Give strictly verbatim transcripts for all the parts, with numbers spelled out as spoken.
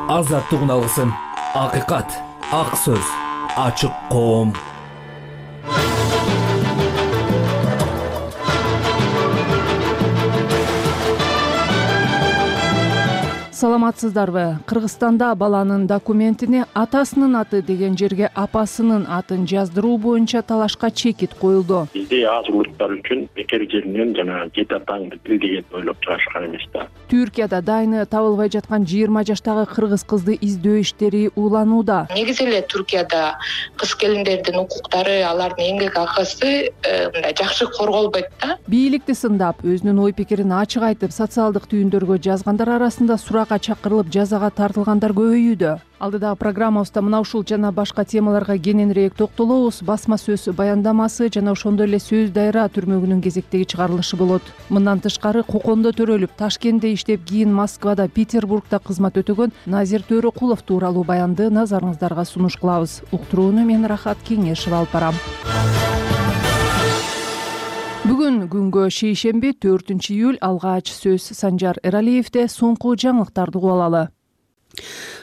азаттыгын алгысың. Акыйкат, ак сөз, ачык коом. Саламатсыздарбы? Кыргызстанда баланын документине атасынын аты деген жерге апасынын атын жаздыруу боюнча талашка чекит коюлду. Бизде аз улуттар үчүн бекер жеринен жана жети атаңды бил деген ойлоп чыгышкан эмес да. Түркияда дайыны табылбай жаткан жыйырма жаштагы кыргыз кызды издөө иштери уланууда. Негизи эле Түркияда кыз келиндердин укуктары, алардын эмгек акысы мындай жакшы корголбойт да. Бийликти сындап, өзүнүн ой пикирин ачык айтып, социалдык түйүндөргө жазгандар арасында суракка чакырылып жазага тартылгандар көбөйүүдө. Алдыдагы программабызда мына ушул жана башка темаларга кененирээк токтолобуз. Басма сөз баяндамасы жана ошондой эле сөз дайра түрмөгүнүн кезектеги чыгарылышы болот. Мындан тышкары Кокондо төрөлүп, Ташкентте иштеп, кийин Москвада, Петербургда кызмат өтөгөн Назир Төрөкулов тууралуу баянды назарыңыздарга сунуш кылабыз. Уктурууну мен Рахат Кеңешева алып барам. Бүгүн күнгө шейшемби төртүнчү июль. Алгач сөз Санжар Эралиевде. Соңку жаңылыктарды угуп алалы.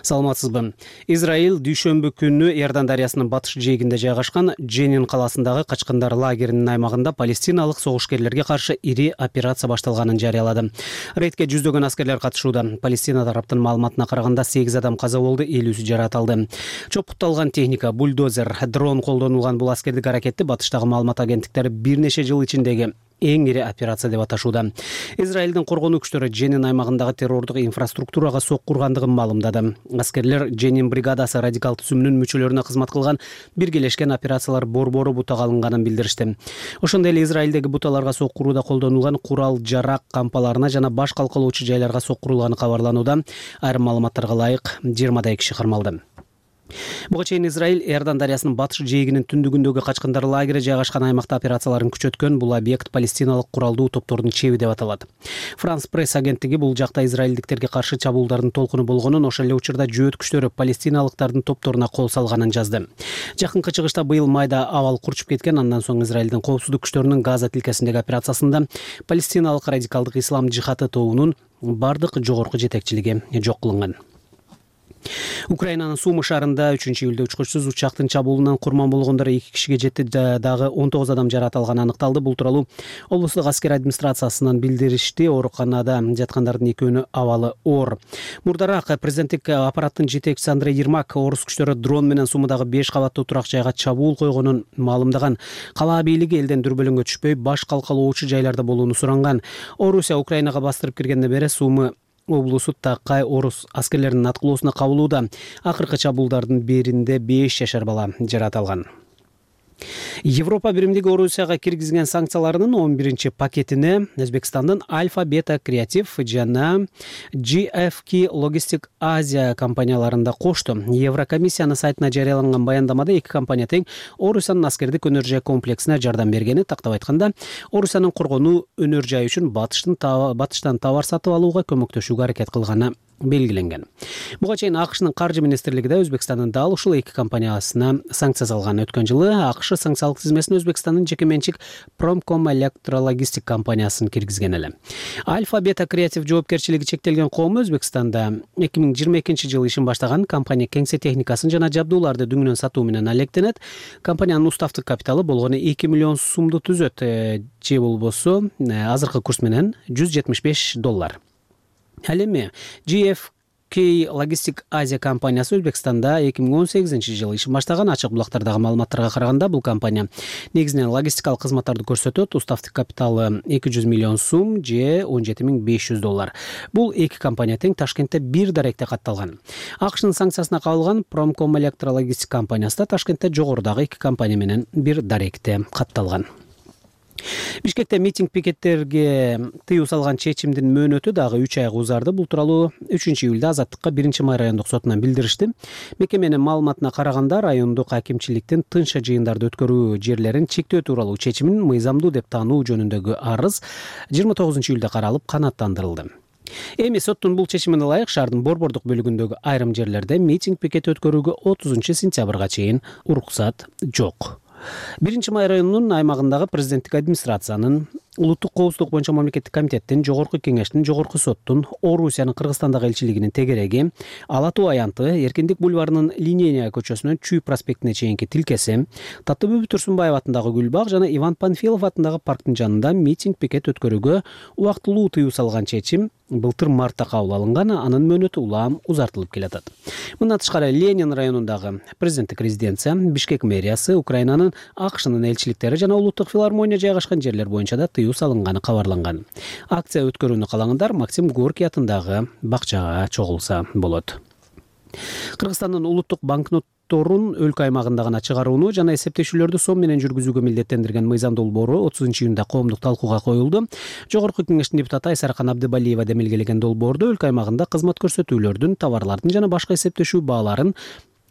Саламатсызбы? Израиль дүйшөмбү күнү Иордан дарыясынын батыш жээгинде жайгашкан Дженин калаасындагы качкындар лагеринин аймагында палестиналык согушкерлерге каршы ири операция башталганын жарыялады. Рейдке жүздөгөн аскерлер катышууда. Палестина тараптын маалыматына караганда сегиз адам каза болду, элүүсү жаратылды. Чопутталган техника, бульдозер, дрон колдонулган бул аскердик аракетти батыштагы маалымат агенттиктери бир нече жыл ичиндеги эң ири операция деп аташууда. Израилдин коргонуу күчтөрү Дженин аймагындагы террордук инфраструктурага сок кургандыгын маалымдады. Аскерлер Дженин бригадасы радикал түзүмүнүн мүчөлөрүнө кызмат кылган биргелешкен операциялар борбору бутага алынганын билдиришти. Ошондой эле Израилдеги буталарга сок курууда колдонулган курал-жарак кампаларына жана баш калкалоочу жайларга сок курулганы кабарланууда. Айрым маалыматтарга ылайык жыйырмадай киши кармалды. Буга чейин Израиль Иордан дарыясынын батыш жээгинин түндүгүндөгү качкындар лагери жайгашкан аймакта операцияларын күчөткөн. Бул объект палестиналык куралдуу топтордун чеби деп аталат. Франс пресс агенттиги бул жакта израилдиктерге каршы чабуулдардын толкуну болгонун, ошол эле учурда жөөт күчтөрү палестиналыктардын топторуна кол салганын жазды. Жакынкы чыгышта быйыл майда абал курчуп кеткен. Андан соң Израилдин коопсуздук күчтөрүнүн Газа тилкесиндеги операциясында палестиналык радикалдык ислам жихаты тобунун бардык жогорку жетекчилиги жок кылынган. Украинанын Сумы шаарында үчүнчү июлда учкучсуз учактын чабуулунан курман болгондор эки кишиге жетти, дагы он тогуз адам жаракат алганы аныкталды. Бул тууралуу облустук аскер администрациясынан билдиришти. Ооруканада жаткандардын экөөнүн абалы оор. Мурдараак президенттик аппараттын жетекчиси Андрей Ермак орус күчтөрү дрон менен Сумудагы беш кабаттуу турак жайга чабуул койгонун маалымдаган. Калаа бийлиги элден дүрбөлөңгө түшпөй, баш калкалоочу жайларда болууну суранган. Орусия Украинага бастырып киргенден бери Сумы облусу такай орус аскерлеринин аткылоосуна кабылууда. Акыркы чабуулдардын биринде беш жашар бала жаратылган. Европа биримдиги Орусияга киргизген санкцияларынын он биринчи пакетине Өзбекстандын Альфа Бета Креатив жана джи эф кей Logistic Asia компанияларында кошту. Еврокомиссиянын сайтына жарыяланган баяндамада эки компания тең Орусиянын аскердик өнөр жай комплексине жардам бергени, тактап айтканда, Орусиянын коргонуу өнөр жайы үчүн батыштын батыштан товар сатып алууга көмөктөшүүгө аракет кылганы белгиленген. Буга чейин АКШнын каржы министрлиги да Өзбекстандын дал ушул эки компаниясына санкция салган. Өткөн жылы АКШ санкциялык тизмесине Өзбекстандын жеке менчик Prompcom электрологистик компаниясын киргизген эле. Альфа Бета Креатив жоопкерчилиги чектелген коому Өзбекстанда эки миң жыйырма экинчи жылы ишин баштаган. Компания кеңсе техникасын жана жабдууларды дүңүнөн сатуу менен алектенет. Компаниянын уставдык капиталы болгону эки миллион сумду түзөт, же болбосо азыркы курс менен жүз жетимиш беш доллар. Ал эми джи эф кей Logistic Asia компаниясы Өзбекстанда эки миң он сегизинчи жылы ишин баштаган. Ачык булактардагы маалыматтарга караганда, бул компания негизинен логистикалык кызматтарды көрсөтөт. Уставдык капиталы эки жүз миллион сум же он жети миң беш жүз доллар. Бул эки компания тең Ташкентте бир даректе катталган. АКШнын санкциясына кабылган Prompcom электрологистик компаниясы да Ташкентте жогорудагы эки компания менен бир даректе катталган. Бишкекте митинг пикеттерге тыюу салган чечимдин мөөнөтү дагы үч айга узарды. Бул тууралуу үчүнчү июлда Азаттыкка биринчи май райондук сотунан билдиришти. Мекеменин маалыматына караганда, райондук акимчиликтин тынча жыйындарды өткөрүү жерлерин чектөө тууралуу чечимин мыйзамдуу деп таануу жөнүндөгү арыз жыйырма тогузунчу июлда каралып канааттандырылды. Эми соттун бул чечимине ылайык шаардын борбордук бөлүгүндөгү айрым жерлерде митинг пикет өткөрүүгө отузунчу сентябрга чейин уруксат жок. биринчи май районунун аймагындагы президенттик администрациянын улуттук коопсуздук боюнча мамлекеттик комитеттин, жогорку кеңештин, жогорку соттун, Орусиянын Кыргызстандагы элчилигинин тегереги, Ала Тоо аянты, Эркиндик бульварынын Линейная көчөсүнөн Чүй проспектине чейинки тилкеси, Таттыбүбү Турсунбаев атындагы Гүлбак жана Иван Панфилов атындагы парктын жанында митинг пикет өткөрүүгө убактылуу тыюу салган чечим былтыр мартта кабыл алынган, анын мөөнөтү улам узартылып келатат. Мындан тышкары Ленин районундагы президенттик резиденция, Бишкек мэриясы, Украинанын, АКШнын элчиликтери жана улуттук филармония жайгашкан жерлер боюнча да тыюу салынганы кабарланган. Акция өткөрүүнү каалагандар Максим Горький атындагы бакчага чогулса болот. Кыргызстандын улуттук банкнот өлкө аймагында гана чыгарууну жана эсептешүүлөрдү сом менен жүргүзүүгө милдеттендирген мыйзам долбоору отузунчу июнда коомдук талкууга коюлду. Жогорку кеңештин депутаты Айсаркан Абдыбалиева демилгелеген долбоордо өлкө аймагында кызмат көрсөтүүлөрдүн, товарлардын жана башка эсептешүү бааларын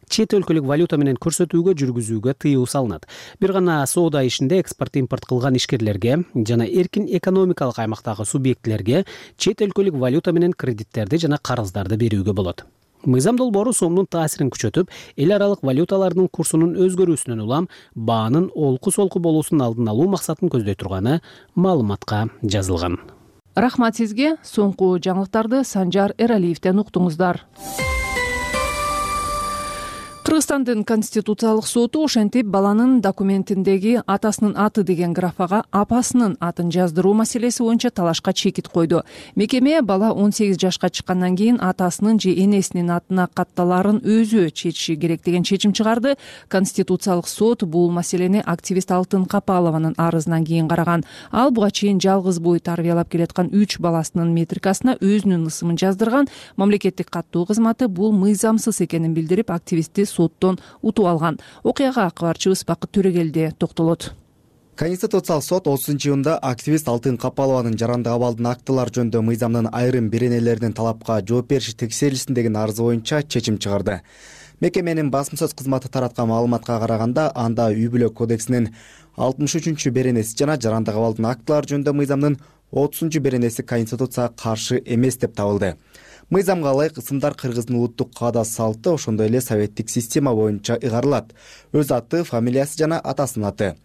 чет өлкөлүк валюта менен көрсөтүүгө жүргүзүүгө тыюу салынат. Бир гана соода ишинде экспорт импорт кылган ишкерлерге жана эркин экономикалык аймактагы субъектилерге чет өлкөлүк валюта менен кредиттерди жана карыздарды берүүгө болот. Мыйзам долбоору сомдун таасирин күчөтүп, эл аралык валюталардын курсунун өзгөрүүсүнөн улам баанын олку-солку болуусунун алдын алуу максатын көздөй турганы маалыматка жазылган. Рахмат сизге. Соңку жаңылыктарды Санжар Эралиевден уктуңуздар. Кыргызстандын Конституциялык соту ошентип баланын документиндеги атасынын аты деген графага апасынын атын жаздыруу маселеси боюнча талашка чекит койду. Мекеме бала он сегиз жашка чыккандан кийин атасынын же энесинин атына катталаарын өзү чечиши керек деген чечим чыгарды. Конституциялык сот бул маселени активист Алтын Капалованын арызынан кийин караган. Ал буга чейин жалгыз бой тарбиялап келаткан үч баласынын метрикасына өзүнүн ысымын жаздырган. Мамлекеттик каттоо кызматы бул мыйзамсыз экенин билдирип, активистти соттон утуп алган. Окуяга кабарчыбыз Бакыт Төрөгелди токтолот. Конституциялык сот отузунчу июнда активист Алтын Капалованын жарандык абалдын актылар жөнүндө мыйзамдын айрым беренелеринин талапка жооп бериши текшерилсин деген арызы боюнча чечим чыгарды. Мекеменин басма сөз кызматы тараткан маалыматка караганда, анда үй бүлө кодексинин алтымыш үчүнчү беренеси жана жарандык абалдын актылар жөнүндө мыйзамдын отузунчу беренеси Конституцияга каршы эмес деп табылды. Мыйзамга ылайык ысымдар кыргыздын улуттук каада салты, ошондой эле советтик система боюнча ыгарылат. Өз аты, фамилиясы жана атасынын аты.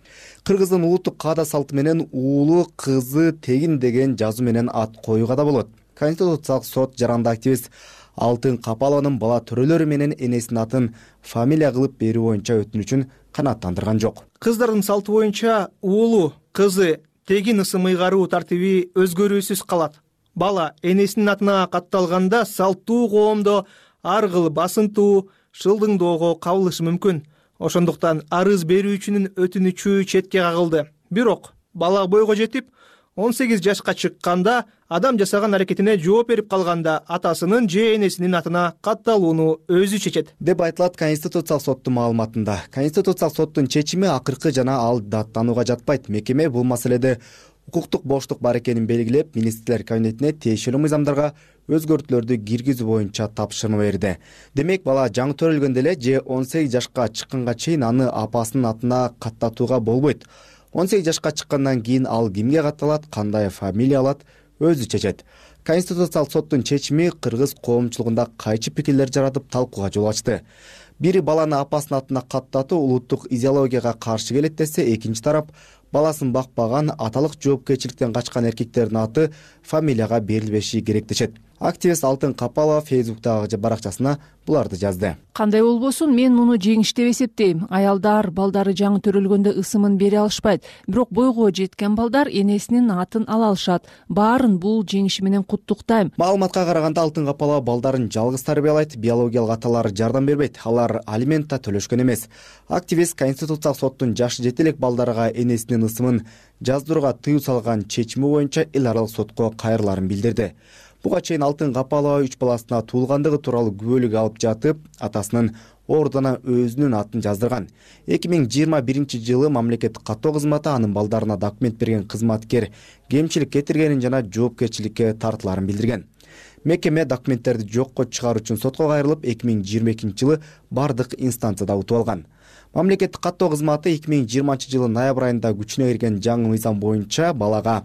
Кыргыздын улуттук каада салты менен уулу, кызы, тегин деген жазуу менен ат коюуга да болот. Конституциялык сот жаранды активист Алтын Капалованын бала төрөлөрү менен энесинин атын фамилия кылып берүү боюнча өтүнүчүн канааттандырган жок. Кыздардын салты боюнча уулу, кызы, тегин ысым ыйгаруу тартиби өзгөрүүсүз калат. Бала энесинин атына катталганда салттуу коомдо ар кыл басынтуу, шылдыңдоого кабылышы мүмкүн. Ошондуктан арыз берүүчүнүн өтүнүчү четке кагылды. Бирок бала бойго жетип, он сегиз жашка чыкканда, адам жасаган аракетине жооп берип калганда атасынын же энесинин атына катталууну өзү чечет, деп айтылат Конституциялык соттун маалыматында. Конституциялык соттун чечими акыркы жана ал даттанууга жатпайт. Мекеме бул маселеде укуктук боштук бар экенин белгилеп, министрлер кабинетине тиешелүү мыйзамдарга өзгөртүүлөрдү киргизүү боюнча тапшырма берди. Демек, бала жаңы төрөлгөндө эле же он сегиз жашка чыкканга чейин аны апасынын атына каттатууга болбойт. он сегиз жашка чыккандан кийин ал кимге катталат, кандай фамилия алат, өзү чечет. Конституциялык соттун чечими кыргыз коомчулугунда кайчы пикирлер жаратып талкууга жол ачты. Бири баланы апасынын атына каттатуу улуттук идеологияга каршы келет десе, экинчи тарап баласын бакпаган, аталык жоопкерчиликтен качкан эркектердин аты фамилияга берилбеши керек дешет. Активист Алтын Капалова Фейсбуктагы баракчасына буларды жазды. Кандай болбосун, мен муну жеңиш деп эсептейм. Аялдар балдары жаңы төрөлгөндө ысымын бере алышпайт. Бирок бойго жеткен балдар энесинин атын ала алышат. Баарын бул жеңиши менен куттуктайм. Маалыматка караганда Алтын Капалова балдарын жалгыз тарбиялайт, биологиялык аталары жардам бербейт. Алар алимент да төлөшкөн эмес. Активист Конституциялык соттун жашы жете элек балдарга энесинин ысымын жаздырууга тыюу салган чечими боюнча эл аралык сотко кайрыларын билдирди. Буга чейин Алтын Капалова үч баласына туулгандыгы тууралуу күбөлүк алып жатып, атасынын ордуна өзүнүн атын жаздырган. эки миң жыйырма биринчи жылы мамлекеттик каттоо кызматы анын балдарына документ берген кызматкер кемчилик кетиргенин жана жоопкерчиликке тартыларын билдирген. Мекеме документтерди жокко чыгаруу үчүн сотко кайрылып, эки миң жыйырма экинчи жылы бардык инстанцияда утуп алган. Мамлекеттик каттоо кызматы эки миң жыйырманчы жылы ноябрь айында күчүнө кирген жаңы мыйзам боюнча балага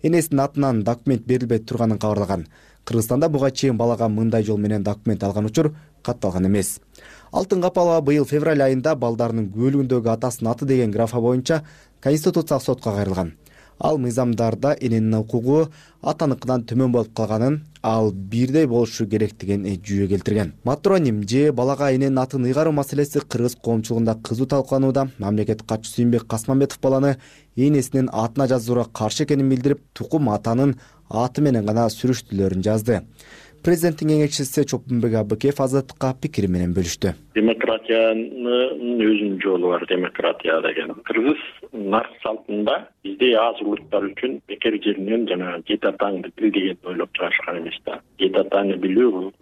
энесинин атынан документ берилбей турганын кабарлаган. Кыргызстанда буга чейин балага мындай жол менен документ алган учур катталган эмес. Алтын Капалова быйыл февраль айында балдарынын күбөлүгүндөгү атасынын аты деген графа боюнча Конституциялык сотко кайрылган. Ал мыйзамдарда эненин укугу атаныкынан төмөн болуп калганын, ал бирдей болушу керек деген жүйө келтирген. Матроним же балага эненин атын ыйгаруу маселеси кыргыз коомчулугунда кызуу талкууланууда. Мамлекет катчысы Сүйүнбек Касманбетов баланы энесинин атына жазууга каршы экенин билдирип, тукум атанын аты менен гана сүрүштүлөрүн жазды. Президенттин кеңешчиси Чопунбек Абыкеев Азаттыкка пикири менен бөлүштү. Демократиянын өзүнүн жолу бар, демократия деген. Кыргыз нарк салтында бизде аз улуттар үчүн бекер жеринен жана жети атаңды бил деген ойлоп чыгарышкан эмес да. Жети атаны билүү,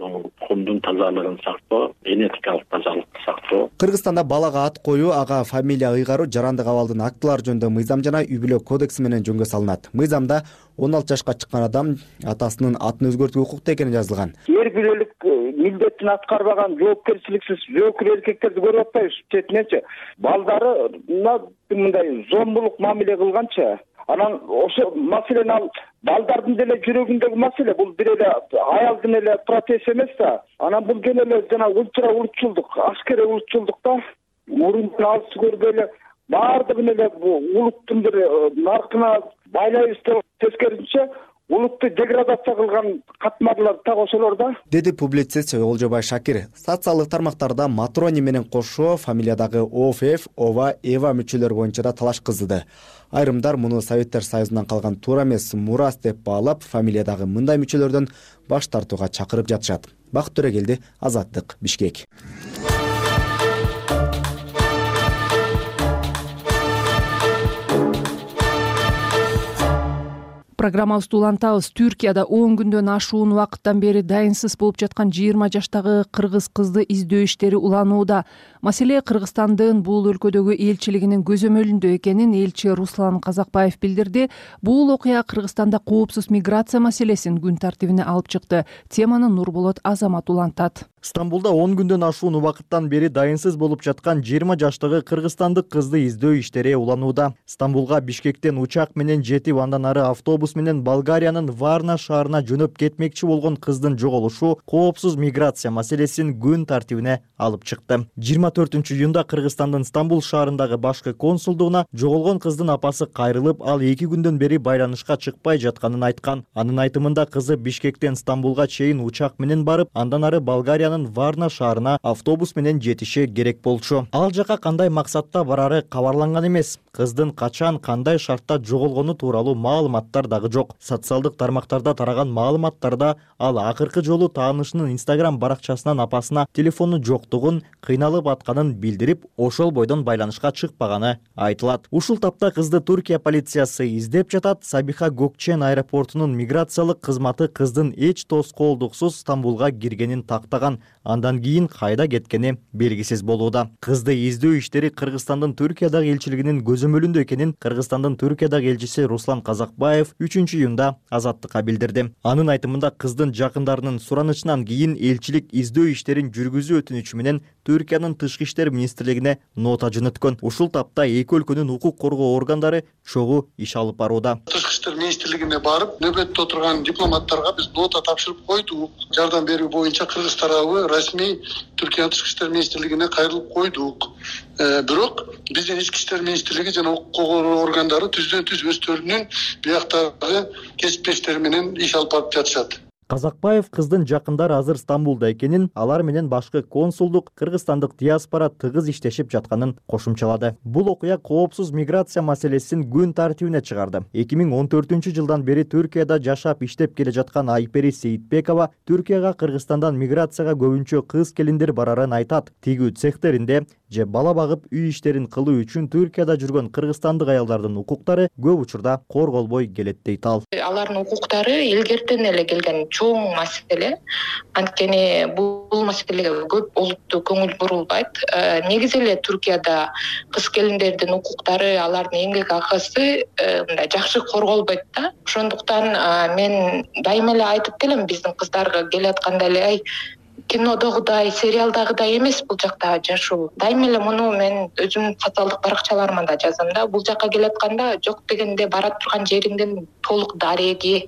коомдун тазалыгын сактоо, генетикалык тазалыкты сактоо. Кыргызстанда балага ат коюу, ага фамилия ыйгаруу жарандык абалдын актылары жөнүндө мыйзам жана үй-бүлө кодекси менен жөнгө салынат. Мыйзамда он алты жашка чыккан адам атасынын атын өзгөртүүгө укуктуу экени жазылган. Эр билүүлүк милдетин аткарбаган жоопкерчиликсиз жоокер эркектерди көрүп атпайбыз четиненчи. Балдарына мындай зомбулук мамиле кылганча, анан ошо маселени ал балдардын деле жүрөгүндөгү маселе, бул бир эле аялдын эле протест эмес да. Анан бул жөн эле жана ульчра улутчулдук, аскерий улутчулдук да. Мурунтан алыс көргөлө баардыгын эле улуттун бир наркына байлайбыз деп тескерисинче улутту деградация кылган катмарлар так ошолор да, деди публицист Олжобай Шакир. Социалдык тармактарда матроним менен кошо фамилиядагы ОФФ, ОВА, ЭВА мүчөлөр боюнча да талаш кыздырды. Айрымдар муну Советтер Союзунан калган туура эмес мурас деп баалап, фамилиядагы мындай мүчөлөрдөн баш тартууга чакырып жатышат. Бакыт Төрөгелди, Азаттык, Бишкек. Программабызды улантабыз. Түркияда он күндөн ашуун убакыттан бери дайынсыз болуп жаткан жыйырма жаштагы кыргыз кызды издөө иштери уланууда. Маселе Кыргызстандын бул өлкөдөгү элчилигинин көзөмөлүндө экенин элчи Руслан Казакбаев билдирди. Бул окуя Кыргызстанда коопсуз миграция маселесин күн тартибине алып чыкты. Теманы Нурболот Азамат улантат. Стамбулда он күндөн ашуун убакыттан бери дайынсыз болуп жаткан жыйырма жаштагы кыргызстандык кызды издөө иштери уланууда. Стамбулга Бишкектен учак менен жетип, андан ары автобус менен Болгариянын Варна шаарына жөнөп кетмекчи болгон кыздын жоголушу коопсуз миграция маселесин күн тартибине алып чыкты. жыйырма төртүнчү июнда Кыргызстандын Стамбул шаарындагы башкы консулдугуна жоголгон кыздын апасы кайрылып, ал эки күндөн бери байланышка чыкпай жатканын айткан. Анын айтымында кызы Бишкектен Стамбулга чейин учак менен барып, андан ары Болгариянын Варна шаарына автобус менен жетиши керек болчу. Ал жака кандай максатта барары кабарланган эмес. Кыздын качан, кандай шартта жоголгону тууралуу маалыматтар дагы жок. Социалдык тармактарда тараган маалыматтарда ал акыркы жолу таанышынын Instagram баракчасынан апасына телефону жоктугун, кыйналып атканын билдирип, ошол бойдон байланышка чыкпаганы айтылат. Ушул тапта кызды Түркия полициясы издеп жатат. Сабиха Гөкчен аэропортунун миграциялык кызматы кыздын эч тоскоолдуксуз Стамбулга киргенин тактаган. Андан кийин кайда кеткени белгисиз болууда. Кызды издөө иштери Кыргызстандын Түркиядагы элчилигинин көзөмөлүндө экенин Кыргызстандын Түркиядагы элчиси Руслан Казакбаев үчүнчү июнда Азаттыкка билдирди. Анын айтымында кыздын жакындарынын суранычынан кийин элчилик издөө иштерин жүргүзүү өтүнүчү менен Түркиянын тышкы иштер министрлигине нота жөнөткөн. Ушул тапта эки өлкөнүн укук коргоо органдары чогуу иш алып барууда. Тышкы иштер министрлигине барып, нөбөттө отурган дипломаттарга биз нота тапшырып койдук. Жардам берүү боюнча Кыргыз тарабы расмий Түркия тышкы иштер министрлигине кайрылып койдук. Бирок биздин ички иштер министрлиги жана укук коргоо органдары түздөн түз өздөрүнүн бияктагы кесиптештери менен иш алып барып жатышат. Казакбаев кыздын жакындары азыр Стамбулда экенин, алар менен башкы консулдук, кыргызстандык диаспора тыгыз иштешип жатканын кошумчалады. Бул окуя коопсуз миграция маселесин күн тартибине чыгарды. эки миң он төртүнчү жылдан бери Түркияда жашап иштеп келе жаткан Айпери Сейитбекова Түркияга Кыргызстандан миграцияга көбүнчө кыз келиндер барарын айтат. Тигүү цехтеринде же бала багып үй иштерин кылуу үчүн Түркияда жүргөн кыргызстандык аялдардын укуктары көп учурда корголбой келет дейт ал. Алардын укуктары илгертен эле келген чоң маселе. Анткени бул маселеге көп олуттуу көңүл бурулбайт. Негизи эле Түркияда кыз келиндердин укуктары, алардын эмгек акысы мындай жакшы корголбойт да. Ошондуктан мен дайыма эле айтып келем, биздин кыздарга келатканда эле ай кинодогудай, сериалдагыдай эмес бул жакта жашоо. Дайыма эле муну мен өзүмдүн социалдык баракчаларыма да жазам да. Бул жака келатканда жок дегенде бара турган жериңдин толук дареги,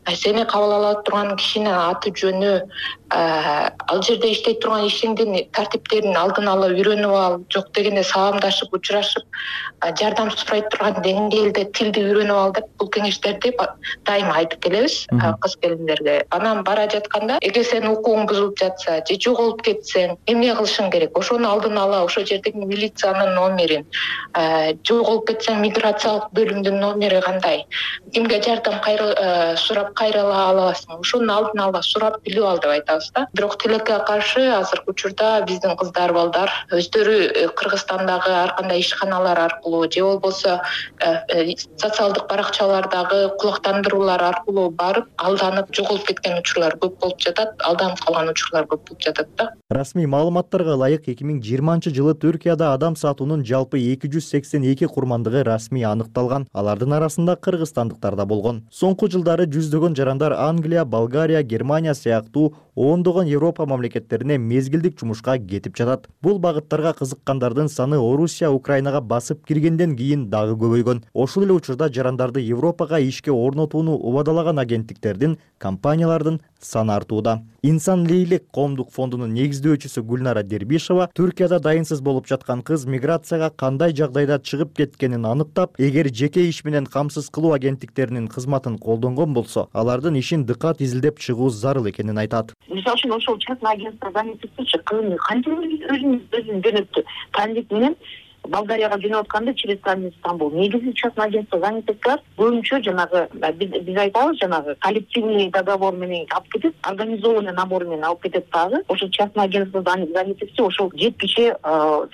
сени кабыл ала турган кишинин аты жөнү, ал жерде иштей турган ишиңдин тартиптерин алдын ала үйрөнүп ал, жок дегенде саламдашып учурашып жардам сурай турган деңгээлде тилди үйрөнүп ал деп бул кеңештерди дайыма айтып келебиз кыз келиндерге. Анан бара жатканда эгер сенин укугуң бузулуп жатса же жоголуп кетсең эмне кылышың керек, ошону алдын ала ошол жердеги милициянын номерин, жоголуп кетсең миграциялык бөлүмдүн номери кандай, кимге жардам сурап кайрыла аласың, ошону алдын ала сурап билип ал деп айтабыз да. Бирок тилекке каршы азыркы учурда биздин кыздар балдар өздөрү Кыргызстандагы ар кандай ишканалар аркылуу же болбосо социалдык баракчалардагы кулактандыруулар аркылуу барып алданып жоголуп кеткен учурлар көп болуп жатат, алданып калган учурлар көп болуп жатат да. Расмий маалыматтарга ылайык эки миң жыйырманчы жылы Түркияда адам сатуунун жалпы эки жүз сексен эки курмандыгы расмий аныкталган. Алардын арасында кыргызстандыктар да болгон. Соңку жылдары жүздөгөн жарандар Англия, Болгария, Германия сыяктуу ондогон Европа мамлекеттерине мезгилдик жумушка кетип жатат. Бул багыттарга кызыккандардын саны Орусия, Украинага басып киргенден кийин дагы көбөйгөн. Ошол эле учурда жарандарды Европага ишке орнотууну убадалаган агенттиктердин, компаниялардын саны артууда. Инсан Лейлек коомдук фондунун негиздөөчүсү Гүлнара Дербишева Түркияда дайынсыз болуп жаткан кыз миграцияга кандай жагдайда чыгып кеткенин аныктап, эгер жеке иш менен камсыз кылуу агенттиктеринин кызматын колдонгон болсо, алардын ишин дыкат изилдеп чыгуу зарыл экенин айтат. Мисалы үчүн ошол частный агентство занятости кызын кантип өзүн өзүн жөнөттү. Транзит менен Болгарияга жөнөп атканда через Стамбул, Стамбул. Негизи частный агентство занятостар көбүнчө жанагы биз айтабыз жанагы коллективный договор менен алып кетет, организованный набор менен алып кетет дагы. Ошо частный агентство занятости ошол жеткиче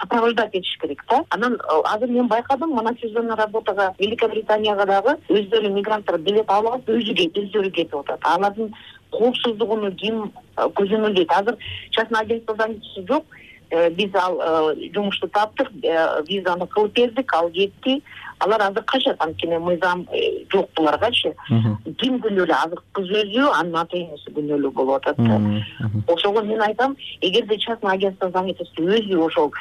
сопровождать этиш керек да. Анан азыр мен байкадым, мына сезонный работага Великобританияга дагы өздөрү мигранттар билет алып алып өзү өздөрү кетип атат. Алардын коопсуздугуну ким көзөмөлдөйт? Азыр частный агентство занятости жок. Биз ал жумушту таптык, визаны кылып бердик, ал кетти. Алар азыр качат, анткени мыйзам жок буларгачы. Ким күнөөлүү? Азыр кыз өзү, анын ата энеси күнөөлүү болуп атат да. Ошого мен айтам, эгерде частный агентство занятости өзү ошол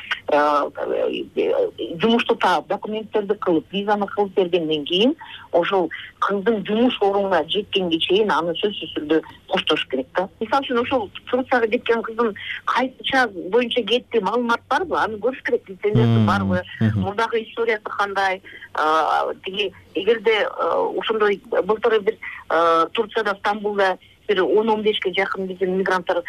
жумушту таап, документтерди кылып, визаны кылып бергенден кийин, ошол кыздын жумуш орнуна жеткенге чейин аны сөзсүз түрдө коштош керек да. Мисалы үчүн ошол Турцияга кеткен кыздын кайсы час боюнча кетти, маалымат барбы? Аны көрүш керек, лицензиясы барбы? Мурдагы историясы кандай? Тиги эгерде ошондой былтыр бир Турцияда, Стамбулда бир он он бешке жакын биздин мигранттар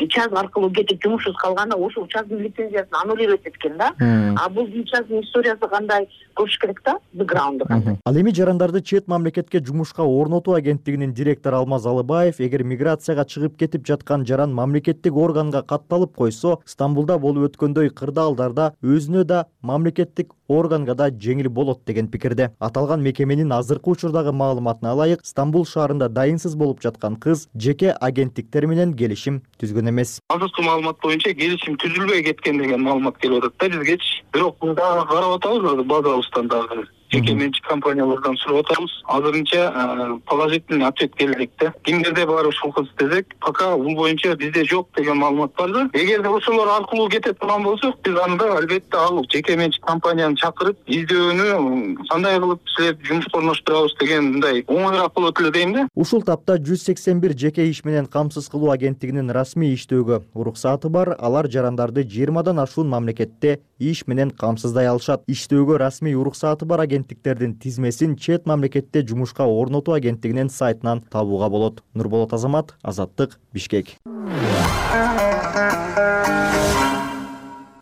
час аркылуу кетип жумушсуз калганда ошол чаздын лицензиясын аннулировать эткен да. А бул чаздын историясы кандай көрүш керек да, бэкграунду кандай. Ал эми жарандарды чет мамлекетке жумушка орнотуу агенттигинин директору Алмаз Алыбаев эгер миграцияга чыгып кетип жаткан жаран мамлекеттик органга катталып койсо, Стамбулда болуп өткөндөй кырдаалдарда өзүнө да мамлекеттик органга да жеңил болот деген пикирде. Аталган мекеменин азыркы учурдагы маалыматына ылайык, Стамбул шаарында дайынсыз болуп жаткан кыз жеке агенттиктер менен келишим түзгөн эмес. Азыркы маалымат боюнча келишим түзүлбөй кеткен деген маалымат келип атат да бизгечи. Бирок дагы карап атабыз, базабыздан дагы жеке менчик компаниялардан сурап атабыз. Азырынча положительный ответ келдик да. Кимдерде бар ушул кыз десек, пока бул боюнча бизде жок деген маалымат бар да. Эгерде ошолор аркылуу кетет турган болсок, биз анда албетте ал жеке менчик компанияны чакырып, издөөнү кандай кылып силерди жумушка орноштурабыз деген мындай оңоюраак болот эле дейм да. Ушул тапта жүз сексен бир жеке иш менен камсыз кылуу агенттигинин расмий иштөөгө уруксаты бар. Алар жарандарды жыйырмадан ашуун мамлекетте иш менен камсыздай алышат. Иштөөгө расмий уруксаты бар агенттиктердин тизмесин чет мамлекетте жумушка орнотуу агенттигинин сайтынан табууга болот. Нурболот Азамат, Азаттык, Бишкек.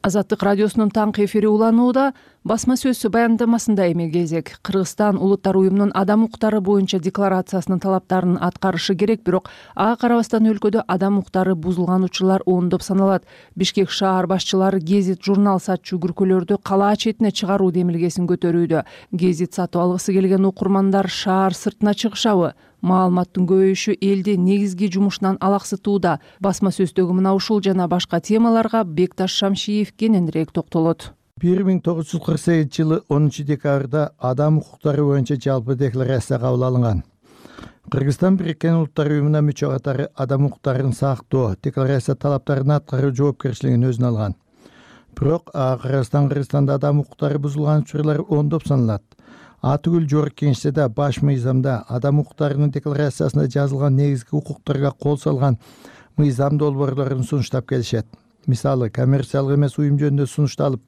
Азаттык радиосунун таңкы эфири уланууда. Басма сөз баяндамасында эми кезек. Кыргызстан Улуттар уюмунун адам укуктары боюнча декларациясынын талаптарын аткарышы керек, бирок ага карабастан өлкөдө адам укуктары бузулган учурлар ондоп саналат. Бишкек шаар башчылары гезит, журнал сатчу күркөлөрдү калаа четине чыгаруу демилгесин көтөрүүдө. Гезит сатып алгысы келген окурмандар шаар сыртына чыгышабы? Маалыматтын көбөйүшү элди негизги жумушунан алаксытууда. Басма сөздөгү мына ушул жана башка темаларга Бекташ Шамшиев кененирээк токтолот. бир миң тогуз жүз кырк сегизинчи жылы онунчу декабрда адам укуктары боюнча жалпы декларация кабыл алынган. Кыргызстан Бириккен Улуттар уюмуна мүчө катары адам укуктарын сактоо, декларация талаптарын аткаруу жоопкерчилигин өзүнө алган. Бирок Кыргызстан Кыргызстанда адам укуктары бузулган учурлар ондоп саналат. Атүгүл жогорку кеңеште баш мыйзамда адам укуктарынын декларациясында жазылган негизги укуктарга кол салган мыйзам долбоорлорун сунуштап келишет. Мисалы, коммерциялык эмес уюм жөнүндө сунушталып,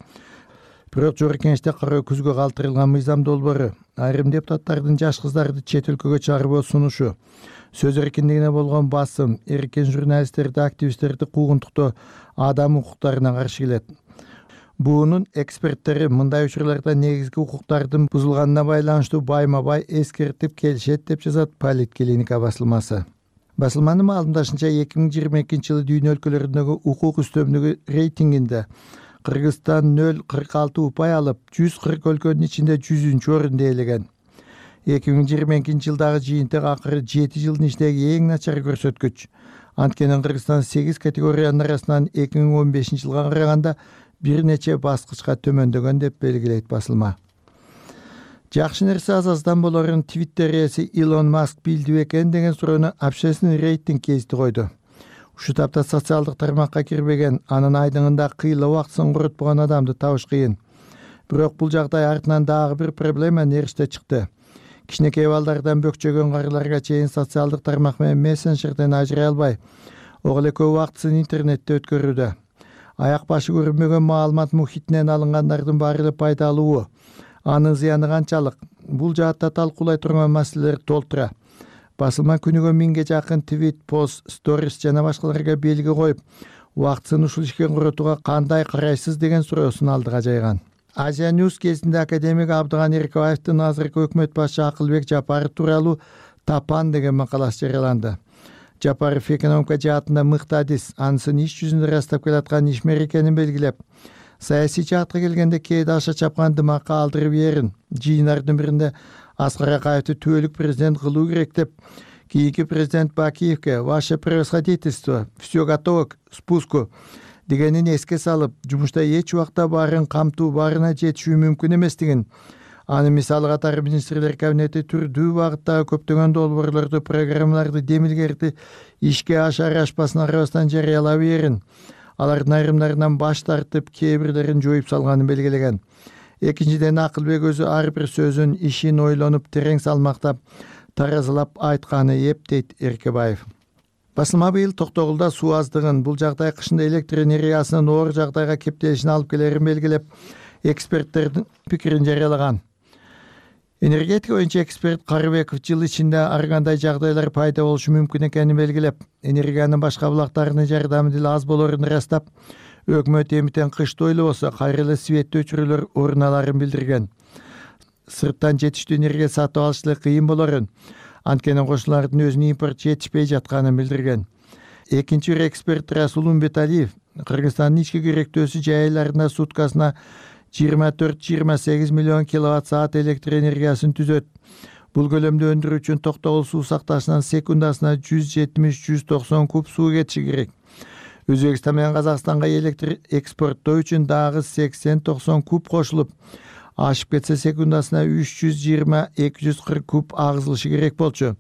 бирок жогорку кеңеште кароо күзгө калтырылган мыйзам долбоору, айрым депутаттардын жаш кыздарды чет өлкөгө чыгаруу сунушу, сөз эркиндигине болгон басым, эркин журналисттерди, активисттерди куугунтуктоо адам укуктарына каршы келет. Буунун эксперттери мындай учурларда негизги укуктардын бузулганына байланыштуу байма-бай эскертип келишет деп жазат Политклиника басылмасы. Басылманын маалымдашынча эки миң жыйырма экинчи жылы дүйнө өлкөлөрүндөгү укук үстөмдүгү рейтингинде Кыргызстан нөл кырк алты упай алып, жүз кырк өлкөнүн ичинде жүзүнчү орунду ээлеген. эки миң жыйырма экинчи жылдагы жыйынтык акыры жети жылдын ичиндеги эң начар көрсөткүч. Анткени Кыргызстан сегиз категориянын арасынан эки миң он бешинчи жылга караганда бир нече баскычка төмөндөгөн деп белгилейт басылма. Жакшы нерсе аз-аздан болорун Twitter ээси Илон Маск билди бекен деген суроону общественный рейтинг кести койду. Ушул тапта социалдык тармакка кирбеген, анын айдыңында кыйла убактысын коротпогон адамды табыш кыйын. Бирок бул жагдай артынан дагы бир проблема нериште чыкты. Кичинекей балдардан бөкчөгөн карыларга чейин социалдык тармак менен мессенджерден ажырай албай, ого эле көп убактысын интернетте өткөрүүдө. Аяк башы көрүнбөгөн маалымат мухитинен алынгандардын баары эле пайдалуу. Анын зыяны канчалык? Бул жаатта талкуулай турган маселелер толтура. Басылма күнүгө миңге жакын твит, пост, сторис жана башкаларга белги коюп, убактысын ушул ишке коротууга кандай карайсыз деген суроосун алдыга жайган. Азия News кезинде академик Абдыган Эркебаевдин азыркы өкмөт башчы Акылбек Жапаров тууралуу Тапан деген макаласы жарыяланды. Жапаров экономика жаатында мыкты адис, анысын иш жүзүндө ырастап келаткан ишмер экенин белгилеп, саясий жаатка келгенде кээде аша чапкан дымакка алдырып ерин. Жыйындардын биринде Аскар Акаевди түбөлүк президент кылуу керек деп, кийинки президент Бакиевке «Ваше превосходительство, все готово к спуску» дегенин эске салып, жумушта эч убакта баарын камтуу, баарына жетишүү мүмкүн эместигин, аны мисалы катары министрлер кабинети түрдүү багыттагы көптөгөн долбоорлорду, программаларды, демилгерди ишке ашар ашпасына карабастан жарыялап берин. Алардын айрымдарынан баш тартып, кээ бирлерин жоюп салганын белгилеген. Экинчиден, Акылбек өзү ар бир сөзүн, ишин ойлонуп, терең салмактап, таразылап айтканы эп, дейт Эркебаев. Басылма быйыл Токтогулда суу аздыгын, бул жагдай кышында электр энергиясынын оор жагдайга кептелишин алып келерин белгилеп, эксперттердин пикирин жарыялаган. Энергетика боюнча эксперт Карыбеков жыл ичинде ар кандай жагдайлар пайда болушу мүмкүн экенин белгилеп, энергиянын башка булактарынын жардамы деле аз болорун ырастап, өкмөт эмитен кышты ойлобосо кайра эле светтүү өчүрүүлөр орун аларын билдирген. Сырттан жетиштүү энергия сатып алыш эле кыйын болорун, анткени кошуналардын өзүнө импорт жетишпей жатканын билдирген. Экинчи бир эксперт Расул Умбеталиев Кыргызстандын ички керектөөсү жай айларында суткасына жыйырма төрт жыйырма сегиз миллион киловатт саат электр энергиясын түзөт. Бул көлөмдү өндүрүү үчүн Токтогул суу сакташынан секундасына жүз жетимиш жүз токсон куб суу кетиши керек. Өзбекстан менен Казакстанга электр экспорттоо үчүн дагы сексен токсон куб кошулуп, ашып кетсе секундасына үч жүз жыйырма эки жүз кырк куб агызылышы керек болчу.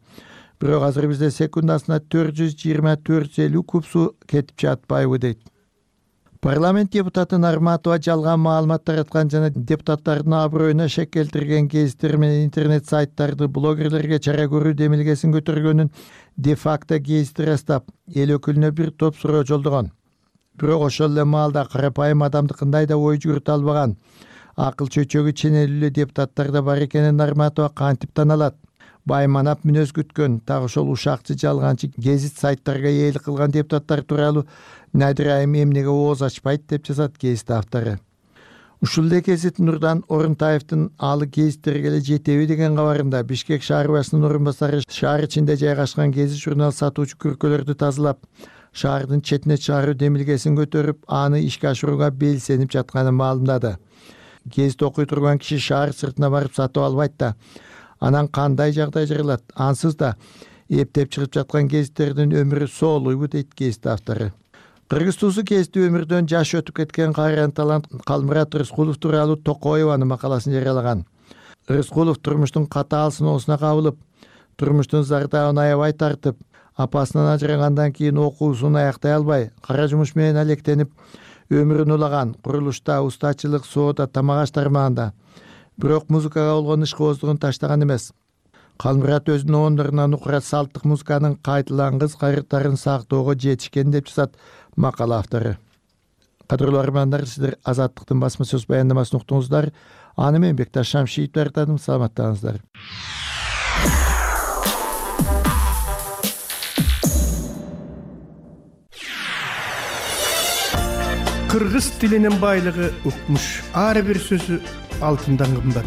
Бирок азыр бизде секундасына төрт жүз жыйырма төрт жүз элүү куб суу кетип жатпайбы, дейт. Парламент депутаты Нарматова жалган маалымат тараткан жана депутаттардын аброюна шек келтирген гезиттер менен интернет сайттарды блогерлерге чара көрүү демилгесин көтөргөнүн де-факто гезити ырастап, эл өкүлүнө бир топ суроо жолдогон. Бирок ошол эле маалда карапайым адамдыкындай да ой жүгүртө албаган, акыл чөйчөгү ченелүүлүү депутаттар да бар экенин Нарматова кантип таналат. Байманап мүнөз күткөн, так ошол ушакчы жалганчы гезит сайттарга ээлик кылган депутаттар тууралуу Надир Айым эмнеге ооз ачпайт деп жазат гезит автору. Ушул эле гезит Нурдан Орунтаевдин алы гезиттерге эле жетеби деген кабарында Бишкек шаар башчысынын орун басары шаар ичинде жайгашкан гезит журнал сатуучу күркөлөрдү тазалап, шаардын четине чыгаруу демилгесин көтөрүп, аны ишке ашырууга белсенип жатканын маалымдады. Гезит окуй турган киши шаар сыртына барып сатып албайт да, анан кандай жагдай жаралат? Ансыз да эптеп чыгып жаткан гезиттердин өмүрү соолуйбу, дейт гезит автору. Кыргыз туусу кесиптүү өмүрдөн жаш өтүп кеткен кайран талант Калмурат Рыскулов тууралуу Токоеванын макаласын жарыялаган. Рыскулов турмуштун катаал сыноосуна кабылып, турмуштун зардабын аябай тартып, апасынан ажырагандан кийин окуусун аяктай албай, кара жумуш менен алектенип, өмүрүн улаган. Курулушта, устачылык, соода, тамак аш тармагында. Бирок музыкага болгон ишкыбоздугун таштаган эмес. Калмурат өзүнүн оондорунан укурат салттык музыканын кайталангыс кайрыктарын сактоого жетишкен деп жазат макала автору. Кадырлуу армандар, сиздер Азаттыктын басма сөз баяндамасын уктуңуздар. Аны мен Бекташ Шамшиев даярдадым. Саламаттаңыздар. Кыргыз тилинин байлыгы укмуш. Ар бир сөзү алтындан кымбат.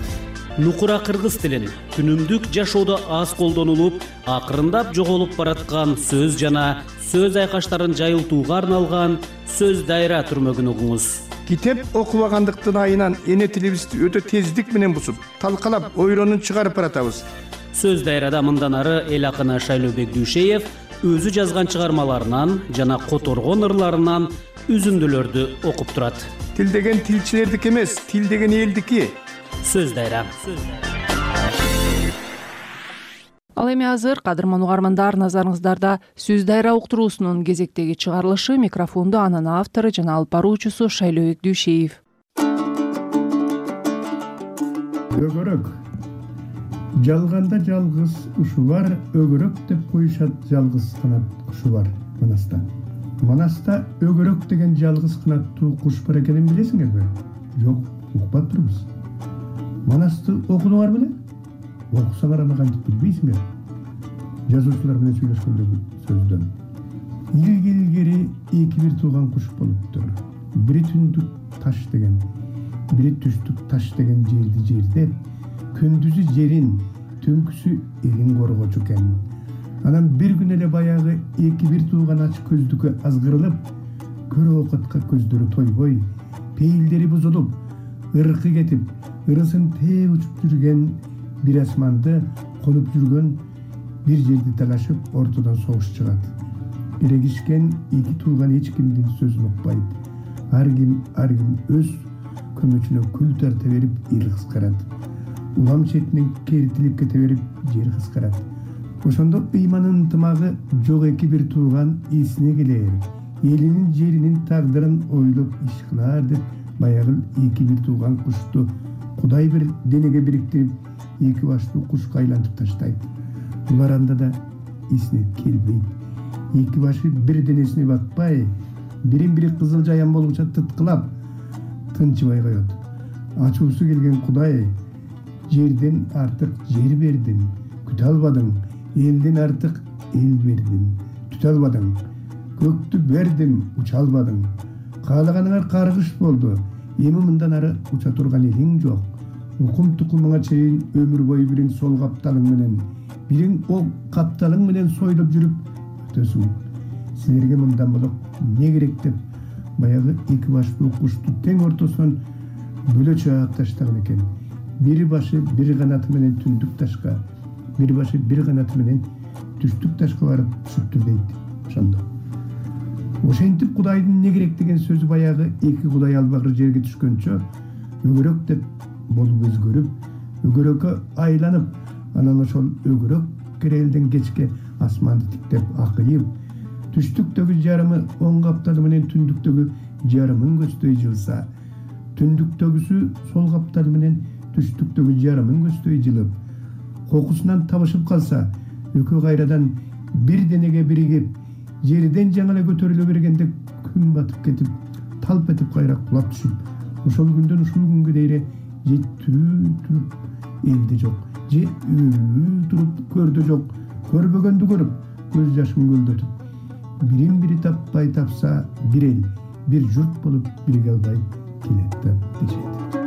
Нукура кыргыз тилин күнүмдүк жашоодо аз колдонулуп, акырындап жоголуп бараткан сөз жана сөз айкаштарын жайылтууга арналган сөз дайра түрмөгүн угуңуз. Китеп окубагандыктын айынан эне тилибизди өтө тездик менен бусуп, талкалап, ойронун чыгарып баратабыз. Сөз дайрада мындан ары эл акыны Шайлообек Дүйшеев өзү жазган чыгармаларынан жана которгон ырларынан үзүндүлөрдү окуп турат. Тил деген тилчилердики эмес, тил деген элдики. Сөз дайра. Ал эми азыр кадырман угармандар, назарыңыздарда сөз дайра уктуруусунун кезектеги чыгарылышы. Микрофонду анын автору жана алып баруучусу Шайлообек Дүйшеев. Өгөрөк. Жалганда жалгыз ушу бар, өгөрөк деп коюшат жалгыз канат кушу бар Манаста. Манаста өгөрөк деген жалгыз канаттуу куш бар экенин билесиңерби? Жок, укпап турбуз. Манасты окудуңар беле? Окусаңар аны кантип билбейсиңер? Жазуучулар менен сүйлөшкөндөгү сөздөн. Илгери эки бир тууган куш болуптур. Бири түндүк таш деген, бири түштүк таш деген жерди жердеп, күндүзү жерин, түнкүсү элин коргочу экен. Анан бир күн эле баягы эки бир тууган ач көздүккө азгырылып, көрө окутка көздөрү тойбой, пейилдери бузулуп, ыркы кетип, ырысын тээ учуп жүргөн бир асманды конуп жүргөн бир жерди талашып, ортодон согуш чыгат. Эрегишкен эки тууган эч кимдин сөзүн укпайт. Ар ким ар ким өз көмөчүнө күл тарта берип, эл кыскарат. Улам четинен кертилип кете берип, жер кыскарат. Ошондо ыйманын ынтымагы жок эки бир тууган эсине келер. Элинин жеринин тагдырын ойлоп иш кылар деп баягы эки бир тууган кушту Кудай бир денеге бириктирип, эки баштуу кушка айлантып таштайт. Булар анда да эсине келбейт. Эки башы бир денесине батпай, бирин-бири кызыл жаян болгуча тыткылап, тынчыбай коет. Ачуусу келген Кудай, жерден артык жер бердим, күтө албадың, элден артык эл бердим, түтө албадың, көктү бердим, уча албадың. Каалаганыңар каргыш болду, эми мындан ары уча турган элиң жок. Укум тукумуңа чейин өмүр бою бириң сол капталың менен, бириң о капталың менен сойлоп жүрүп өтөсүң. Силерге мындан болок эмне керек деп баягы эки баштуу кушту тең ортосунан бөлө чаап таштаган экен. Бир башы бир канаты менен түндүк ташка, бир башы бир канаты менен түштүк ташка барып түшүптүр дейт. Ошондо ошентип Кудайдын эмне керек деген сөзү баягы эки Кудай албагыр жерге түшкөнчө өгөрөк деп болуп өзгөрүп, өгөрөккө айланып, анан ошол өгөрөк керелден кечке асманды тиктеп акыйып, түштүктөгү жарымы оң капталы менен түндүктөгү жарымын көздөй жылса, түндүктөгүсү сол капталы менен түштүктөгү жарымын көздөй жылып, кокусунан табышып калса, экөө кайрадан бир денеге биригип, жерден жаңы эле көтөрүлө бергенде күн батып кетип, талп этип кайра кулап түшүп, ошол күндөн ушул күнгө дейре же тирүү туруп элде жок, же өлүү туруп көрдө жок, көрбөгөндү көрүп, көз жашын көлдөтүп, бирин бири таппай тапса, бир эл, бир журт болуп бириге албай келет деп дешет.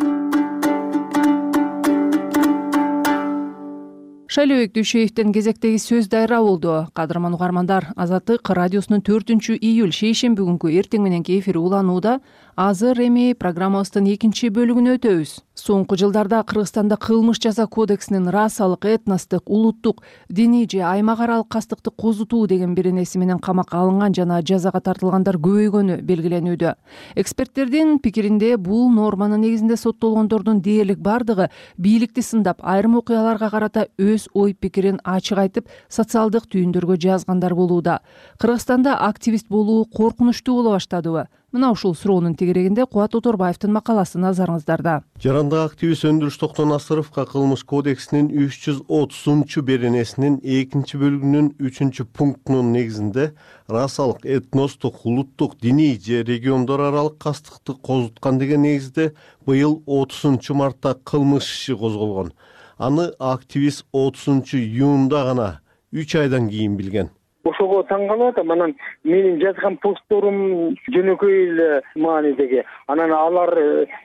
Шайлообек Дүйшеевдин кезектеги сөз дайра болду. Кадырман угармандар, Азаттык радиосунун төртүнчү июль шейшемби күнгү эртең мененки эфири уланууда. Азыр эми программабыздын экинчи бөлүгүнө өтөбүз. Соңку жылдарда Кыргызстанда кылмыш жаза кодексинин расалык, этностук, улуттук, диний же аймак аралык кастыкты козутуу деген беренеси менен камакка алынган жана жазага тартылгандар көбөйгөнү белгиленүүдө. Эксперттердин пикиринде бул норманын негизинде соттолгондордун дээрлик бардыгы бийликти сындап, айрым окуяларга карата өз ой пикирин ачык айтып, социалдык түйүндөргө жазгандар болууда. Кыргызстанда активист болуу коркунучтуу боло баштадыбы? Мына ушул суроонун тегерегинде Кубат Оторбаевдин макаласы назарыңыздарда. Жарандык активист Өндүрүш Токтонасыровго Кылмыш кодексинин үч жүз отузунчу беренесинин экинчи бөлүгүнүн үчүнчү пунктунун негизинде расалык, этностук, улуттук, диний же региондор аралык кастыкты козуткан деген негизде быйыл отузунчу мартта кылмыш иши козголгон. Аны активист отузунчу июнда гана үч айдан кийин билген. Ошого таң калып атам. Анан менин жазган постторум жөнөкөй эле маанидеги. Анан алар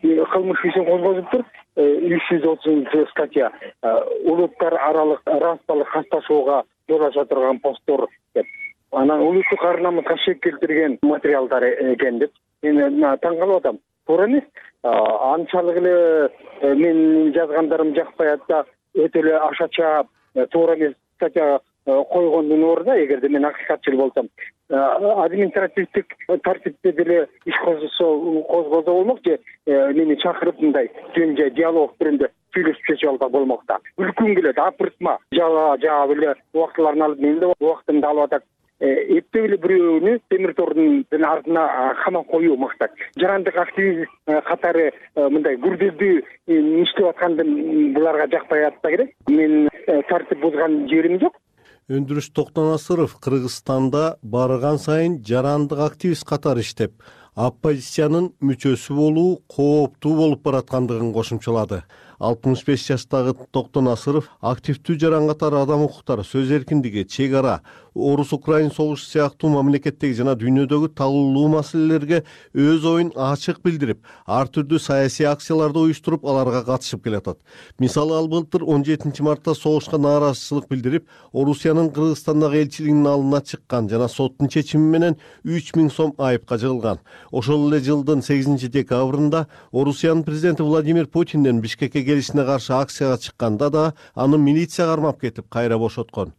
кылмыш ишин козгозуптур. үч жүз отузунчу статья улуттар аралык расалык касташууга жол ача турган посттор деп. Анан улуттук ар намыска шек келтирген материалдар экен деп мен таң калып атам. Туура эмес. Анчалык эле менин жазгандарым жакпай атса, өтө эле ашача туура эмес статья койгондун ордуна, эгерде мен акыйкатчыл болсом, административдик тартипте деле иш козгозо болмок же мени чакырып мындай жөн жай диалог түрүндө сүйлөшүп чечип алса болмок да. Үлкүм келет, апыртма жаба жаап эле убактыларын алып мен да убактымды алып атат. Эптеп эле бирөөнү темир тордун артына камап коюу максат. Жарандык активист катары мындай күрделүү иштеп атканды буларга жакпай атса керек. Мен тартип бузган жерим жок. Өндүрүш Токтонасыров Кыргызстанда барган сайын жарандык активист катары иштеп, оппозициянын мүчөсү болуу кооптуу болуп бараткандыгын кошумчалады. алтымыш беш жаштагы Токтонасыров активдүү жаран катары адам укуктары, сөз эркиндиги, чек ара, орус-украин согушу сыяктуу мамлекеттеги жана дүйнөдөгү талуулуу маселелерге өз оюн ачык билдирип, ар түрдүү саясий акцияларды уюштуруп, аларга катышып келатат. Мисалы, ал былтыр он жетинчи мартта согушка нааразычылык билдирип, Орусиянын Кыргызстандагы элчилигинин алдына чыккан жана соттун чечими менен үч миң сом айыпка жыгылган. Ошол эле жылдын сегизинчи декабрында Орусиянын президенти Владимир Путинден Бишкекке келишине каршы акцияга чыкканда да аны милиция кармап кетип, кайра бошоткон.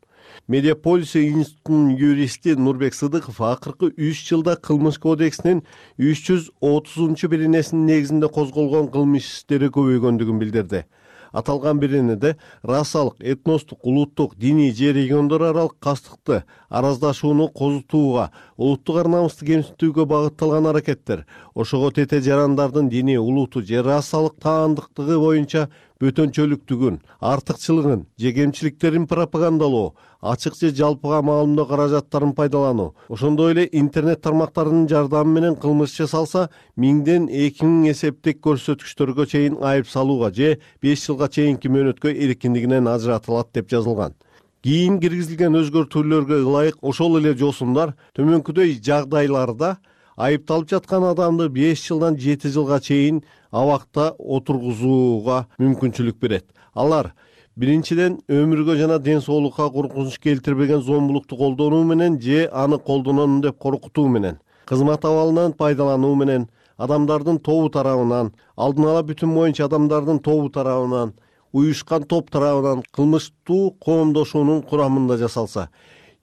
Медиаполис институтунун юристи Нурбек Сыдыков акыркы үч жылда кылмыш кодексинин үч жүз отузунчу беренесинин негизинде козголгон кылмыш иштери көбөйгөндүгүн билдирди. Аталган беренеде расалык, этностук, улуттук, диний же региондор аралык кастыкты, араздашууну козутууга, улуттук ар намысты кемсинтүүгө багытталган аракеттер, ошого тете жарандардын дини, улуту же расалык таандыктыгы боюнча бөтөнчөлүктүгүн, артыкчылыгын же кемчиликтерин пропагандалоо, ачык же жалпыга маалымдоо каражаттарын пайдалануу, ошондой эле интернет тармактарынын жардамы менен кылмыш жасалса, миңден эки миң эсептик көрсөткүчтөргө чейин айып салууга же беш жылга чейинки мөөнөткө эркиндигинен ажыратылат деп жазылган. Кийин киргизилген өзгөртүүлөргө ылайык ошол эле жосумдар төмөнкүдөй жагдайларда айыпталып жаткан адамды беш жылдан жети жылга чейин абакта отургузууга мүмкүнчүлүк берет. Алар биринчиден өмүргө жана ден соолукка коркунуч келтирбеген зомбулукту колдонуу менен же аны колдонон деп коркутуу менен, кызмат абалынан пайдалануу менен, адамдардын тобу тарабынан, алдын ала бүтүн боюнча адамдардын тобу тарабынан, уюшкан топ тарабынан кылмыштуу коомдошуунун курамында жасалса.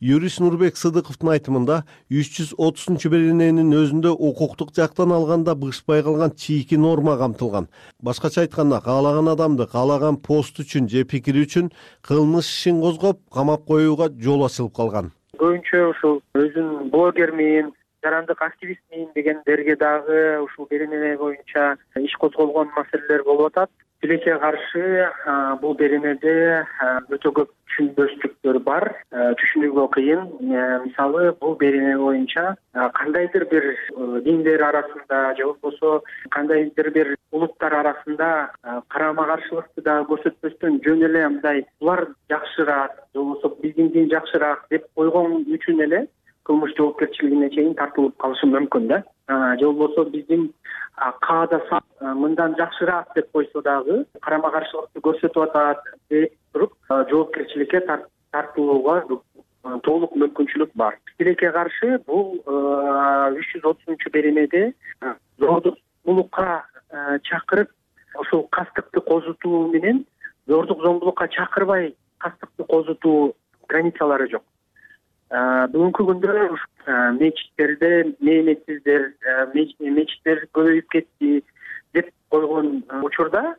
Юрист Нурбек Сыдыковдун айтымында үч жүз отузунчу берененин өзүндө укуктук жактан алганда бышпай калган чийки норма камтылган. Башкача айтканда, каалаган адамды каалаган пост үчүн же пикири үчүн кылмыш ишин козгоп, камап коюуга жол ачылып калган. Көбүнчө ушул өзүн блогермин, жарандык активистмин дегендерге дагы ушул берене боюнча иш козголгон маселелер болуп атат. Тилекке каршы бул беренеде өтө көп түшүнбөстүктөр бар, түшүнүүгө кыйын. Мисалы, бул берене боюнча кандайдыр бир диндер арасында же болбосо кандайдыр бир улуттар арасында карама каршылыкты да көрсөтпөстөн жөн эле мындай булар жакшыраак же болбосо биздин дин жакшыраак деп койгон үчүн эле кылмыш жоопкерчилигине чейин тартылып калышы мүмкүн да. Же болбосо биздин каада мындан жакшыраак деп койсо дагы карама каршылыкты көрсөтүп атат деп туруп жоопкерчиликке тартылууга толук мүмкүнчүлүк бар. Тилекке каршы бул үч жүз отузунчу беренеде зордук зомбулукка чакырып, ошол кастыкты козутуу менен зордук зомбулукка чакырбай кастыкты козутуу границалары жок. Бүгүнкү күндө мечиттерде мээнетсиздер, мечиттер көбөйүп кетти деп койгон учурда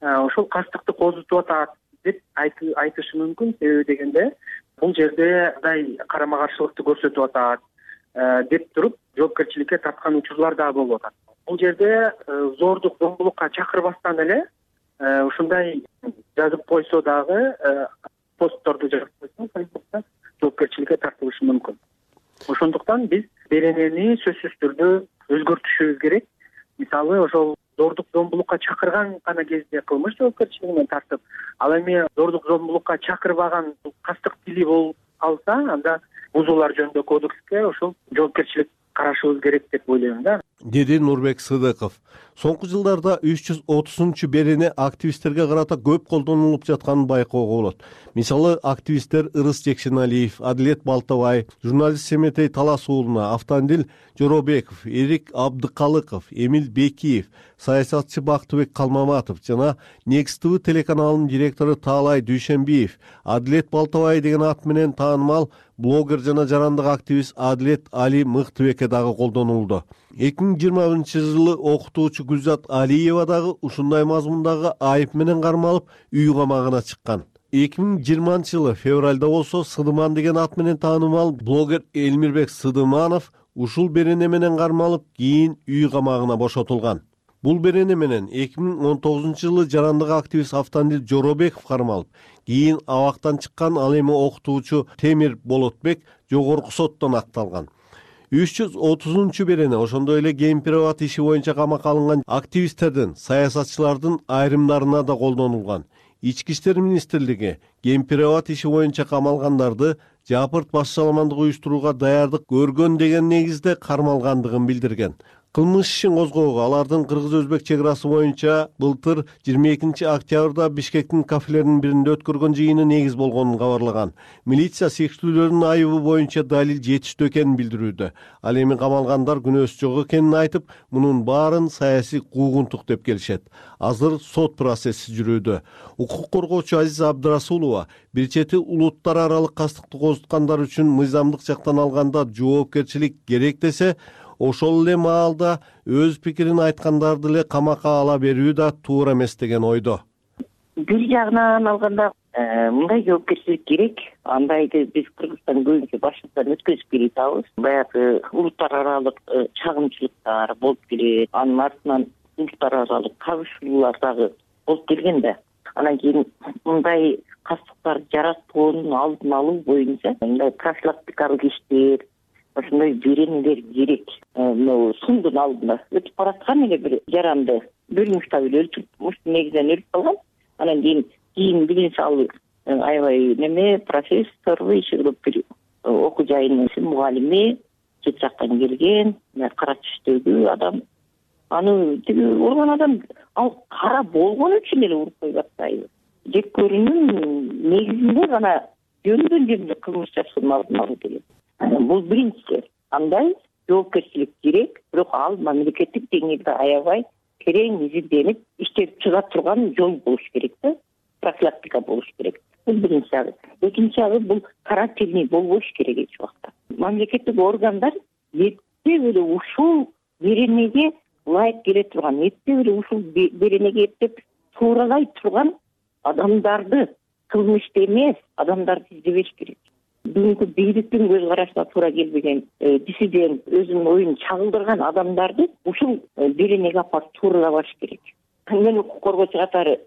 ошол кастыкты козутуп атат деп айтышы мүмкүн. Себеби дегенде бул жерде мындай карама каршылыкты көрсөтүп атат, деп туруп жоопкерчиликке тарткан учурлар дагы болуп атат. Бул жерде зордук зомбулукка чакырбастан эле ушундай жазып койсо дагы, постторду жазып койсо Фейсбукта жоопкерчиликке тартылышы мүмкүн. Ошондуктан биз беренени сөзсүз түрдө өзгөртүшүбүз керек. Мисалы, ошол зордук зомбулукка чакырган гана кезде кылмыш жоопкерчилигинен тартып, ал эми зордук зомбулукка чакырбаган кастык тили болуп калса, анда бузуулар жөнүндө кодекске ошол жоопкерчилик карашыбыз керек деп ойлойм да, деди Нурбек Сыдыков. Соңку жылдарда үч жүз отузунчу берене активисттерге карата көп колдонулуп жатканын байкоого болот. Мисалы, активисттер Ырыс Жекшеналиев, Адилет Балтабай, журналист Семетей Талас уулуна, Автандил Жоробеков, Эрик Абдыкалыков, Эмил Бекиев, саясатчы Бактыбек Калмаматов жана Next ти ви телеканалынын директору Таалай Дүйшөнбиев, Адилет Балтабай деген ат менен таанымал блогер жана жарандык активист Адилет Али Мыктыбекке дагы колдонулду. эки миң жыйырма биринчи жылы окутуучу Гүлзат Алиева дагы ушундай мазмундагы айып менен кармалып, үй камагына чыккан. эки миң жыйырманчы жылы февралда болсо Сыдыман деген ат менен таанымал блогер Элмирбек Сыдыманов ушул берене менен кармалып, кийин үй камагына бошотулган. Бул берене менен эки миң он тогузунчу жылы жарандык активист Автандил Жоробеков кармалып, кийин абактан чыккан ал эми окутуучу Темир Болотбек жогорку соттон акталган. үч жүз отузунчу берене ошондой эле гейм-переват иши боюнча камакка алынган активисттердин, саясатчылардын айрымдарына да колдонулган. Ички иштер министрлиги гейм-переват иши боюнча камалгандарды жапырт баш-чаламандык уюштурууга даярдык көргөн деген негизде кармалгандыгын билдирген. Кылмыш ишин козгоого алардын кыргыз-өзбек чек арасы боюнча былтыр жыйырма экинчи октябрда Бишкектин кафелеринин биринде өткөргөн жыйыны негиз болгонун кабарлаган. Милиция сектүүлөрдүн айыбы боюнча далил жетиштүү экенин билдирүүдө. Ал эми камалгандар күнөөсү жок экенин айтып, мунун баарын саясий куугунтук деп келишет. Азыр сот процесси жүрүүдө. Укук коргоочу Азиза Абдрасулова бир чети улуттар аралык кастыкты козуткандар үчүн мыйзамдык жактан алганда жоопкерчилик керек десе, ошол эле маалда өз пикирин айткандарды эле камакка ала берүү да туура эмес деген ойдо. Бир жагынан алганда мындай жоопкерчилик керек. Андайды биз Кыргызстан көбүнчө башыбыздан өткөзүп келе атабыз. Баягы улуттар аралык чагымчылыктар болуп келет. Анын артынан улуттар аралык кабышуулар дагы болуп келген да. Анан кийин мындай кастыктар жаратканын алдын алуу боюнча мындай профилактикалык иштер, ошондой беренелер керек. Могу сундун алдында өтүп бараткан эле бир жаранды бөлүнүштө эле өлтүрүп, негизинен өлүп калган. Анан кийин кийин билин салып, аябай неме профессор, иши кылып бир окуу жайынын мугалими, чет жактан келген, кара түстөгү адам. Аны тиги урган адам ал кара болгон үчүн эле уруп коюп атпайбы? Жек көрүүнүн негизинде гана жөндөн жерде кылмыш жасоонун алдын алуу керек. Бул биринчиси. Андай жоопкерчилик керек, бирок ал мамлекеттик деңгээлде аябай терең изилденип иштеп чыга турган жол болуш керек да, профилактика болуш керек. Бул биринчи жагы. Экинчи жагы бул карательный болбош керек эч убакта. Мамлекеттик органдар эптеп эле ушул беренеге ылайык келе турган, эптеп эле ушул беренеге эптеп тууралай турган адамдарды, кылмышты эмес адамдарды издебеш керек. Бүгүнкү бийликтин көз карашына туура келбеген диссидент, өзүнүн оюн чагылдырган адамдарды ушул беренеге апарып тууралабаш керек. Мен укук коргоочу катары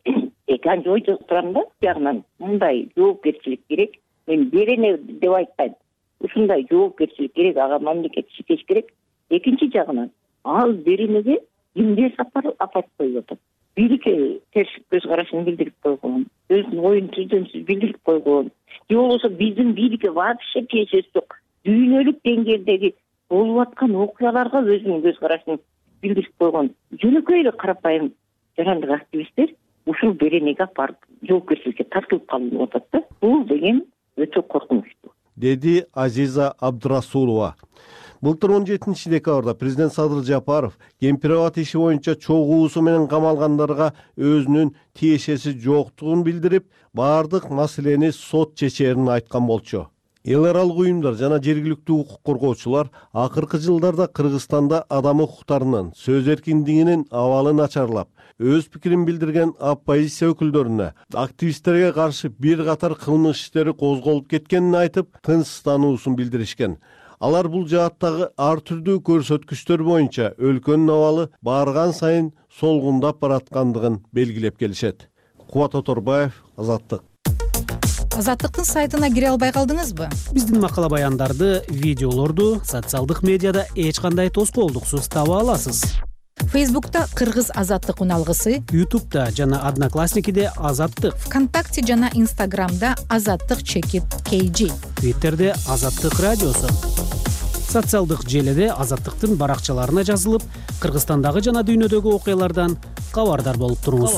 эки анча ойдо турам да, бягынан мындай жоопкерчилик керек. Мен берене деп айтпайм. Ушундай жоопкерчилик керек, ага мамлекет иштеш керек. Экинчи жагынан ал беренеге кимдер апарып коюп атат? Бийликке терс көз карашын билдирип койгон, өзүнүн оюн түздөн-түз билдирип койгон. Же болбосо биздин бийликке вообще тиешеси жок. Дүйнөлүк деңгээлдеги болуп аткан окуяларга өзүнүн көз карашын билдирип койгон. Жөнөкөй эле карапайым жарандык активисттер ушул беренеге апарып жоопкерчиликке тартылып калынып атат да. Бул деген өтө коркунучтуу, деди Азиза Абдрасулова. Былтыр он жетинчи декабрда президент Садыр Жапаров гейм-переват иши боюнча чогуусу менен камалгандарга өзүнүн тиешеси жоктугун билдирип, баардык маселени сот чечерин айткан болчу. эл аралык уюмдар жана жергиликтүү укук коргоочулар акыркы жылдарда Кыргызстанда адам укуктарынын, сөз эркиндигинин абалы начарлап, өз пикирин билдирген оппозиция өкүлдөрүнө активисттерге каршы бир катар кылмыш иштери козголуп кеткенин айтып, тынчсыздануусун билдиришкен. Алар бул жааттагы ар түрдүү көрсөткүчтөр боюнча өлкөнүн абалы барган сайын солгундап бараткандыгын белгилеп келишет. Кубат Оторбаев, Азаттык. Азаттыктын сайтына кире албай калдыңызбы? Биздин макала баяндарды, видеолорду социалдык медиада эч кандай тоскоолдуксуз таба аласыз. Фейсбукта Кыргыз Азаттык уналгысы, Ютубта жана Одноклассникиде Азаттык, ВКонтакте жана Инстаграмда Азаттык чекит кей джи, Твиттерде Азаттык радиосу. Социалдык желеде Азаттыктын баракчаларына жазылып, Кыргызстандагы жана дүйнөдөгү окуялардан кабардар болуп туруңуз.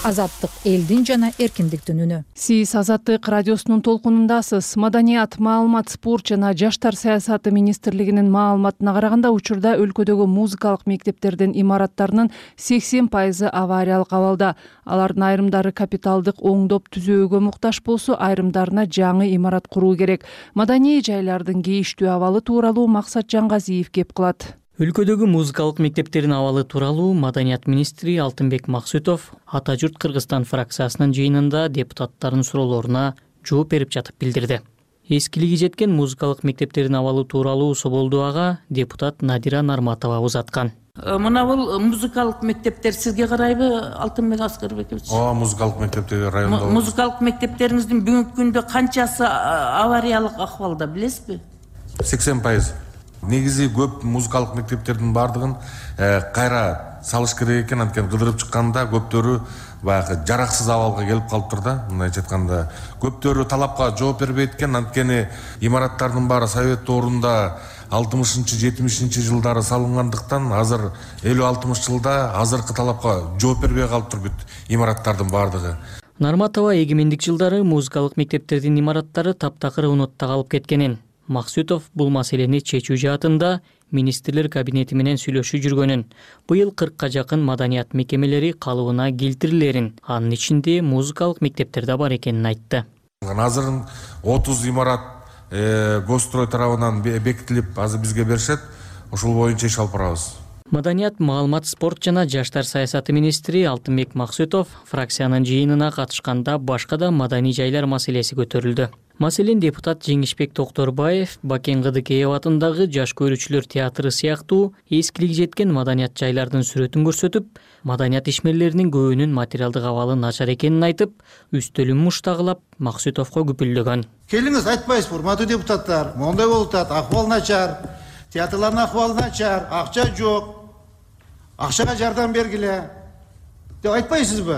Азаттык элдин жана эркиндиктин үнү. Сиз Азаттык радиосунун толкунундасыз. Маданият, маалымат, спорт жана жаштар саясаты министрлигинин маалыматына караганда, учурда өлкөдөгү музыкалык мектептердин имараттарынын сексен пайызы авариялык абалда. Алардын айрымдары капиталдык оңдоп түзөөгө муктаж болсо, айрымдарына жаңы имарат куруу керек. Маданий жайлардын кейиштүү абалы тууралуу Максат Жаңгазиев кеп кылат. Өлкөдөгү музыкалык мектептердин абалы тууралуу Маданият министри Алтынбек Максутов Ата журт Кыргызстан фракциясынын жыйынында депутаттардын суроолоруна жооп берип жатып билдирди. Эскилиги жеткен музыкалык мектептердин абалы тууралуу Соболдуага депутат Надира Нарматова узаткан. Мына бул музыкалык мектептер сизге карайбы, Алтынбек Аскарбекович? Ооба, музыкалык мектептер районда. Музыкалык мектептериңиздин бүгүнкү күндө канчасы авариялык акыбалда, билесизби? сексен пайыз. Негизи көп музыкалык мектептердин бардыгын кайра салыш керек экен, анткени кыдырып чыкканда көптөрү баягы жараксыз абалга келип калыптыр да. Мындайча айтканда, көптөрү талапка жооп бербейт экен, анткени имараттардын баары совет доорунда алтымышынчы жетимишинчи жылдары салынгандыктан азыр элүү алтымыш жылда азыркы талапка жооп бербей калыптыр бүт имараттардын бардыгы. Нарматова эгемендик жылдары музыкалык мектептердин имараттары таптакыр унутта калып кеткенин, Максутов бул маселени чечүү жаатында министрлер кабинети менен сүйлөшүп жүргөнүн, быйыл кыркка жакын маданият мекемелери калыбына келтирилерин, анын ичинде музыкалык мектептер да бар экенин айтты. Азыр отуз имарат Госстрой тарабынан бекитилип, азыр бизге беришет, ошол боюнча иш алып барабыз. Маданият, маалымат, спорт жана жаштар саясаты министри Алтынбек Максутов фракциянын жыйынына катышканда башка да маданий жайлар маселеси көтөрүлдү. Маселен, депутат Жеңишбек Токторбаев Бакен Кыдыкеев атындагы жаш көрүүчүлөр театры сыяктуу эскилиги жеткен маданият жайлардын сүрөтүн көрсөтүп, маданият ишмерлеринин көбүнүн материалдык абалы начар экенин айтып, үстөлүн муштагылап Максутовго күпүлдөгөн. Келиңиз, айтпайсызбы, урматтуу депутаттар, моундай болуп атат, акыбал начар, театрлардын акыбалы начар, акча жок, акчага жардам бергиле деп айтпайсызбы?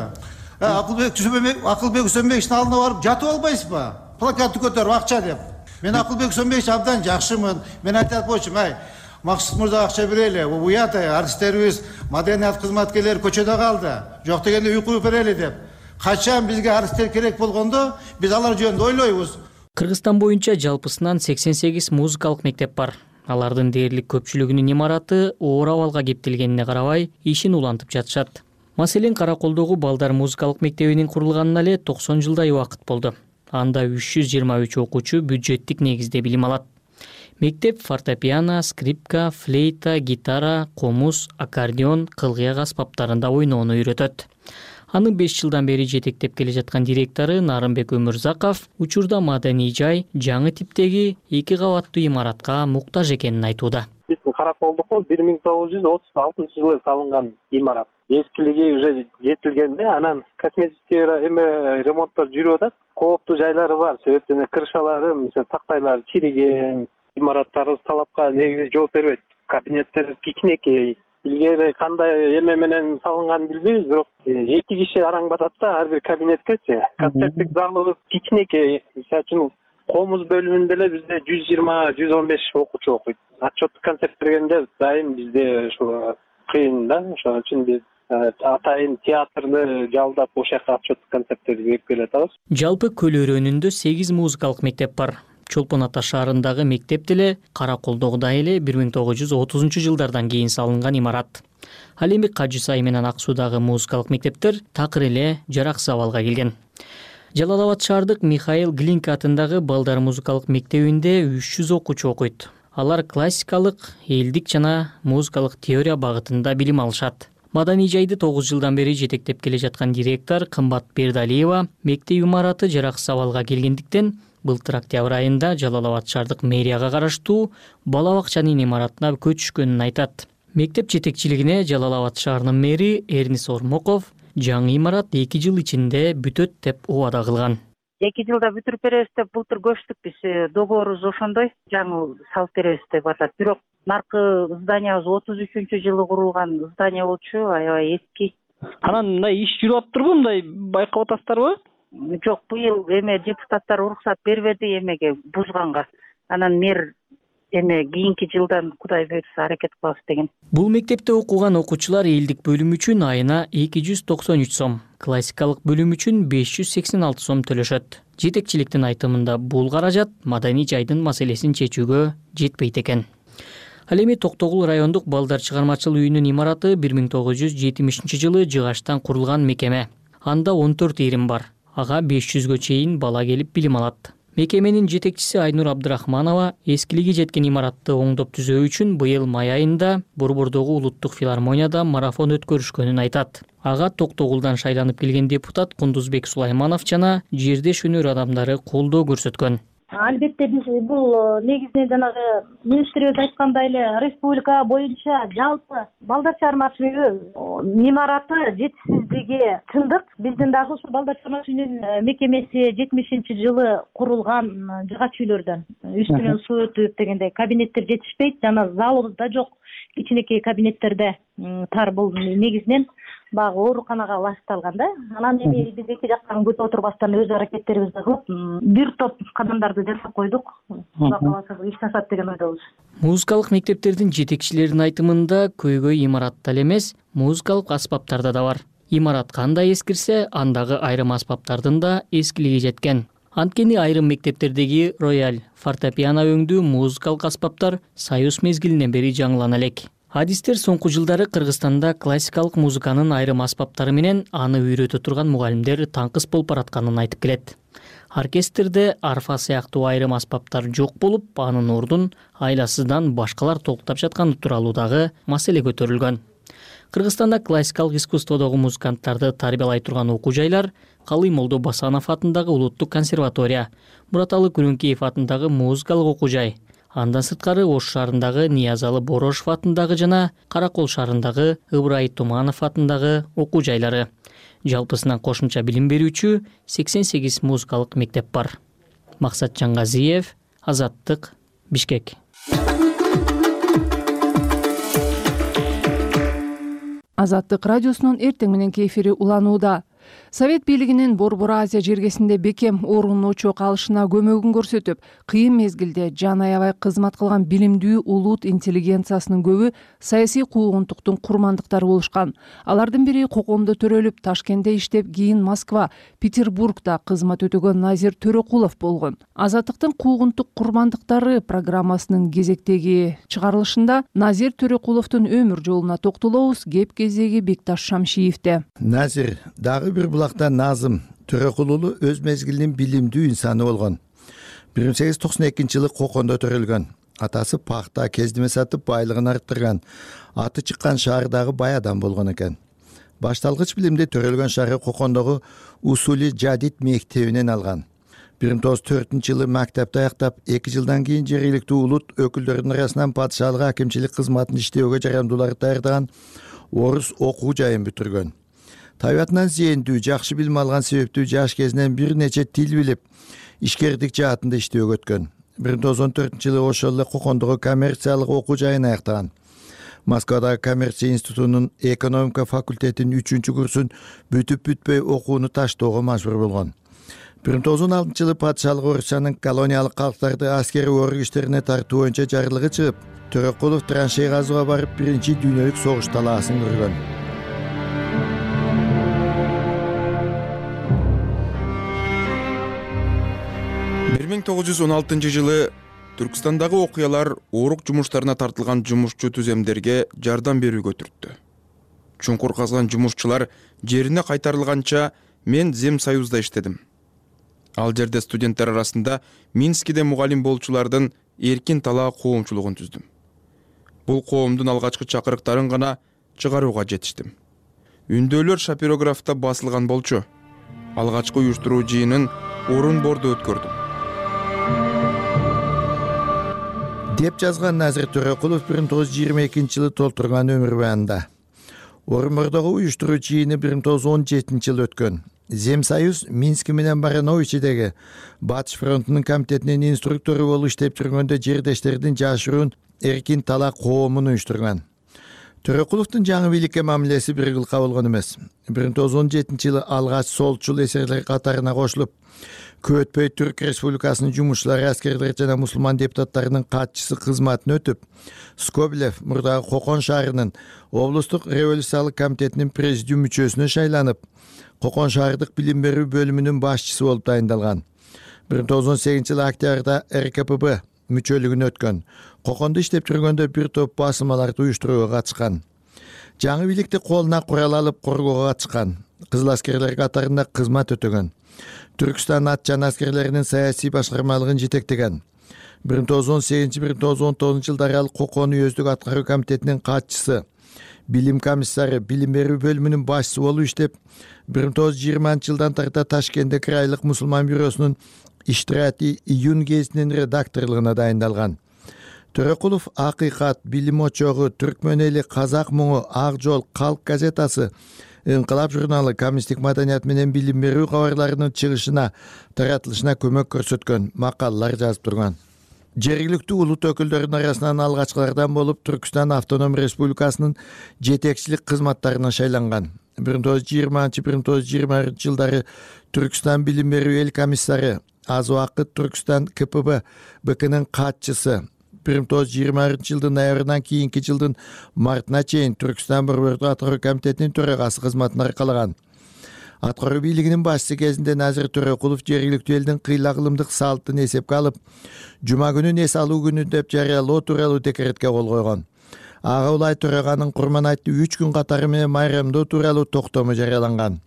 Акылбек Үсөнбековичтин алдына барып жатып албайсызбы? Плакатты көтөрүп акча деп. Мен Акылбек Үсөнбекович абдан жакшымын. Мен айтат болчумун, ай, Максут мырза акча берели, уят артисттерибиз, маданият кызматкерлери көчөдө калды. Жок дегенде уйку берели деп. Качан бизге артисттер керек болгондо, биз алар жөнүндө ойлойбуз. Кыргызстан боюнча жалпысынан сексен сегиз музыкалык мектеп бар. Алардын дээрлик көпчүлүгүнүн имараты оор абалга кептелгенине карабай, ишин улантып жатышат. Маселен, Караколдогу балдар музыкалык мектебинин курулганына эле токсон жылдай убакыт болду. Анда үч жүз жыйырма үч окуучу бюджеттик негизде билим алат. Мектеп фортепиано, скрипка, флейта, гитара, комуз, аккордеон, кылгыяк аспаптарында ойноону үйрөтөт. Анын беш жылдан бери жетектеп келе жаткан директору Нарымбек Өмүрзаков учурда маданий жай жаңы типтеги эки кабаттуу имаратка муктаж экенин айтууда. Биздин Караколдуку бир миң тогуз жүз отуз алтынчы жылы салынган имарат. Эскилиги уже жетилгенде, анан косметический эме ремонттор жүрүп атат. Кооптуу жайлары бар, себептен крышалары, мисалы тактайлары чириген, имараттарыбыз талапка негизи жооп бербейт. Кабинеттер кичинекей. Илгери кандай эме менен салынган билбейбиз, бирок эки киши араң батат да ар бир кабинеткечи. Концерттик залыбыз кичинекей. Мисалы үчүн комуз бөлүмүндө эле бизде жүз жыйырма жүз он беш окуучу окуйт. Отчеттук концерт бергенде дайым бизде ушул кыйын да, ошон үчүн биз атайын театрды жалдап ошол жака отчеттук концерттерди берип келатабыз. Жалпы Көл өрөөнүндө сегиз музыкалык мектеп бар. Чолпон Ата шаарындагы мектеп деле Караколдогудай эле бир миң тогуз жүз отузунчу жылдардан кийин салынган имарат. Ал эми Кажы Сай менен Ак Суудагы музыкалык мектептер такыр эле жараксыз абалга келген. Жалал Абад шаардык Михаил Глинка атындагы балдар музыкалык мектебинде үч жүз окуучу окуйт. Алар классикалык, элдик жана музыкалык теория багытында билим алышат. Маданий жайды тогуз жылдан бери жетектеп келе жаткан директор Кымбат Бердалиева мектеп имараты жараксыз абалга келгендиктен былтыр октябрь айында Жалал Абад шаардык мэрияга караштуу бала бакчанын имаратына көчүшкөнүн айтат. Мектеп жетекчилигине Жалал Абад шаарынын мэри Эрнис Ормоков жаңы имарат эки жыл ичинде бүтөт деп убада кылган. эки жылда бүтүрүп беребиз деп былтыр көчтүк биз. Договорубуз ошондой, жаңы салып беребиз деп атат. Бирок наркы зданиябыз отуз үчүнчү жылы курулган здание болчу, аябай эски. Анан мындай иш жүрүп атыптырбы, мындай байкап атасыздарбы? Жок, быйыл эме депутаттар уруксат бербеди эмеге бузганга. Анан мэр эме кийинки жылдан Кудай буйрса аракет кылабыз деген. Бул мектепте окуган окуучулар элдик бөлүм үчүн айына эки жүз токсон үч сом, классикалык бөлүм үчүн беш жүз сексен алты сом төлөшөт. Жетекчиликтин айтымында бул каражат маданий жайдын маселесин чечүүгө жетпейт экен. Ал эми Токтогул райондук балдар чыгармачыл үйүнүн имараты бир миң тогуз жүз жетимишинчи жылы жыгачтан курулган мекеме. Анда он төрт ирим бар. Ага беш жүзгө чейин бала келип билим алат. Мекеменин жетекчиси Айнур Абдрахманова эскилиги жеткен имаратты оңдоп түзөө үчүн быйыл май айында Борбордогу улуттук филармонияда марафон өткөрүшкөнүн айтат. Ага Токтогулдан шайланып келген депутат Кундузбек Сулайманов жана жердеш өнөр адамдары колдоо көрсөткөн. Албетте биз бул негизинен жанагы министрибиз айткандай эле республика боюнча жалпы балдар чыгармачыл үйү имараты жетишсиздиги чындык. Биздин дагы ушул балдар чыгармачыл үйүнүн мекемеси жетимишинчи жылы курулган жыгач үйлөрдөн. Үстүнөн суу өтүп дегендей кабинеттер жетишпейт, жана залыбыз да жок. Кичинекей кабинеттерде тар бул негизинен багы ооруканага ылайыкталган да. Анан эми биз эки жактан күтүп отурбастан өз аракеттерибизди кылып, бир топ кадамдарды жасап койдук. Кудай кааласа иш жасат деген ойдобуз. Музыкалык мектептердин жетекчилеринин айтымында көйгөй имаратта эле эмес, музыкалык аспаптарда да бар. Имарат кандай эскирсе, андагы айрым аспаптардын да эскилиги жеткен. Анткени айрым мектептердеги рояль, фортепиано өңдүү музыкалык аспаптар Союз мезгилинен бери жаңылана элек. Адистер соңку жылдары Кыргызстанда классикалык музыканын айрым аспаптары менен аны үйрөтө турган мугалимдер таңкыс болуп баратканын айтып келет. Оркестрде арфа сыяктуу айрым аспаптар жок болуп, анын ордун айласыздан башкалар толуктап жатканы тууралуу дагы маселе көтөрүлгөн. Кыргызстанда классикалык искусстводогу музыканттарды тарбиялай турган окуу жайлар Калый Молдо Басанов атындагы улуттук консерватория, Мураталы Күрүнкеев атындагы музыкалык окуу жай, андан сырткары Ош шаарындагы Ниязалы Борошов атындагы жана Каракол шаарындагы Ыбрай Туманов атындагы окуу жайлары. Жалпысынан кошумча билим берүүчү сексен сегиз музыкалык мектеп бар. Максат Жаңгазиев, Азаттык, Бишкек. Азаттык радиосунун эртең мененки эфири уланууда. Совет бийлигинин Борбор Азия жергесинде бекем орун очок алышына көмөгүн көрсөтүп, кыйын мезгилде жан аябай кызмат кылган билимдүү улут интеллигенциясынын көбү саясий куугунтуктун курмандыктары болушкан. Алардын бири Кокомдо төрөлүп, Ташкентте иштеп, кийин Москва, Петербургда кызмат өтөгөн Назир Төрөкулов болгон. Азаттыктын куугунтук курмандыктары программасынын кезектеги чыгарылышында Назир Төрөкуловдун өмүр жолуна токтолобуз. Кеп кезеги Бекташ Шамшиевде. Назир дагы бир булакта Назым Төрөкул өз мезгилинин билимдүү инсаны болгон. бир миң сегиз жүз токсон экинчи жылы Кокондо төрөлгөн. Атасы пахта, кездеме сатып байлыгын арттырган. Аты чыккан шаардагы бай адам болгон экен. Башталгыч билимди төрөлгөн шаары Кокондогу Усули Жадид мектебинен алган. бир миң тогуз жүз төртүнчү жылы мектепти аяктап, эки жылдан кийин жергиликтүү улут өкүлдөрүнүн арасынан падышалык акимчилик кызматын иштөөгө жарандууларды даярдаган орус окуу жайын бүтүргөн. Табиятынан зээндүү, жакшы билим алган себептүү жаш кезинен бир нече тил билип, ишкердик жаатында иштөөгө өткөн. бир миң тогуз жүз он төртүнчү жылы ошол эле Кокондогу коммерциялык окуу жайын аяктаган. Москвадагы коммерция институтунун экономика факультетинин үчүнчү курсун бүтүп бүтпөй окууну таштоого мажбур болгон. бир миң тогуз жүз он алтынчы жылы падышалык Орусиянын колониялык калктарды аскерий орг иштерине тартуу боюнча жарлыгы чыгып, Төрөкулов траншей казууга барып, биринчи дүйнөлүк согуш талаасын көргөн. бир миң тогуз жүз он алтынчы жылы Түркстандагы окуялар оорук жумуштарына тартылган жумушчу түземдерге жардам берүүгө түрттү. Чуңкур казган жумушчулар жерине кайтарылганча мен Земсоюзда иштедим. Ал жерде студенттер арасында Минскиде мугалим болчулардын эркин талаа коомчулугун түздүм. Бул коомдун алгачкы чакырыктарын гана чыгарууга жетиштим. Үндөөлөр шапирографта басылган болчу. Алгачкы уюштуруу жыйынын орун бордо өткөрдүм. деп жазган Назир Төрөкулов бир миң тогуз жүз жыйырма экинчи жылы толтурган өмүр баянында. Орун бордогу уюштуруу жыйыны бир миң тогуз жүз он жетинчи жылы өткөн. Земсоюз Минск менен Барановичидеги Батыш фронтунун комитетинин инструктору болуп иштеп жүргөндө жердештердин жашыруун эркин талаа коомун уюштурган. Төрөкуловдун жаңы бийликке мамилеси бир кылка болгон эмес. бир миң тогуз жүз он жетинчи жылы алгач солчул эсерлер катарына кошулуп, көп өтпөй Түрк Республикасынын жумушчулары, аскерлер жана мусулман депутаттарынын катчысы кызматын өтүп, Скоблев мурдагы Кокон шаарынын облустук революциялык комитетинин президиум мүчөсүнө шайланып, Кокон шаардык билим берүү бөлүмүнүн башчысы болуп дайындалган. бир миң тогуз жүз он сегизинчи жылы октябрда эр ка пэ бэ мүчөлүгүнө өткөн. Кокондо иштеп жүргөндө бир топ басылмаларды уюштурууга катышкан. Жаңы бийликти колуна курал алып коргоого катышкан. Кызыл аскерлер катарында кызмат өтөгөн. Түркстан ат жана аскерлеринин саясий башкармалыгын жетектеген. бир миң тогуз жүз он сегизинчи — бир миң тогуз жүз он тогузунчу жылдары ал Кокон уездик аткаруу комитетинин катчысы, билим комиссары, билим берүү бөлүмүнүн башчысы болуп иштеп, бир миң тогуз жүз жыйырманчы жылдан тарта Ташкентте крайлык мусулман бюросунун Иштирати июнь гезитинин редакторлугуна дайындалган. Төрөкулов Акыйкат, Билим очогу, Түркмөн эли, Казак муңу, Ак жол, Калк газетасы, Инкылап журналы, коммунисттик маданият менен билим берүү кабарларынын чыгышына, таратылышына көмөк көрсөткөн, макалалар жазып турган. Жергиликтүү улут өкүлдөрүнүн арасынан алгачкылардан болуп Түркстан автоном республикасынын жетекчилик кызматтарына шайланган. бир миң тогуз жүз жыйырманчы — бир миң тогуз жүз жыйырма биринчи жылдары Түркстан билим берүү эл комиссары, аз убакыт Түркстан ка пэ бэ бэ кнын катчысы, бир миң тогуз жүз жыйырма биринчи жылдын ноябрынан кийинки жылдын мартына чейин Түркстан борбордук аткаруу комитетинин төрагасы кызматын аркалаган. Аткаруу бийлигинин башчысы кезинде Назир Төрөкулов жергиликтүү элдин кыйлагылымдык салтын эсепке алып, жума күнүн эс алуу күнү деп жарыялоо тууралуу декретке кол койгон. Ага улай төраганын Курманайтты үч күн катары менен майрамдоо тууралуу токтому жарыяланган.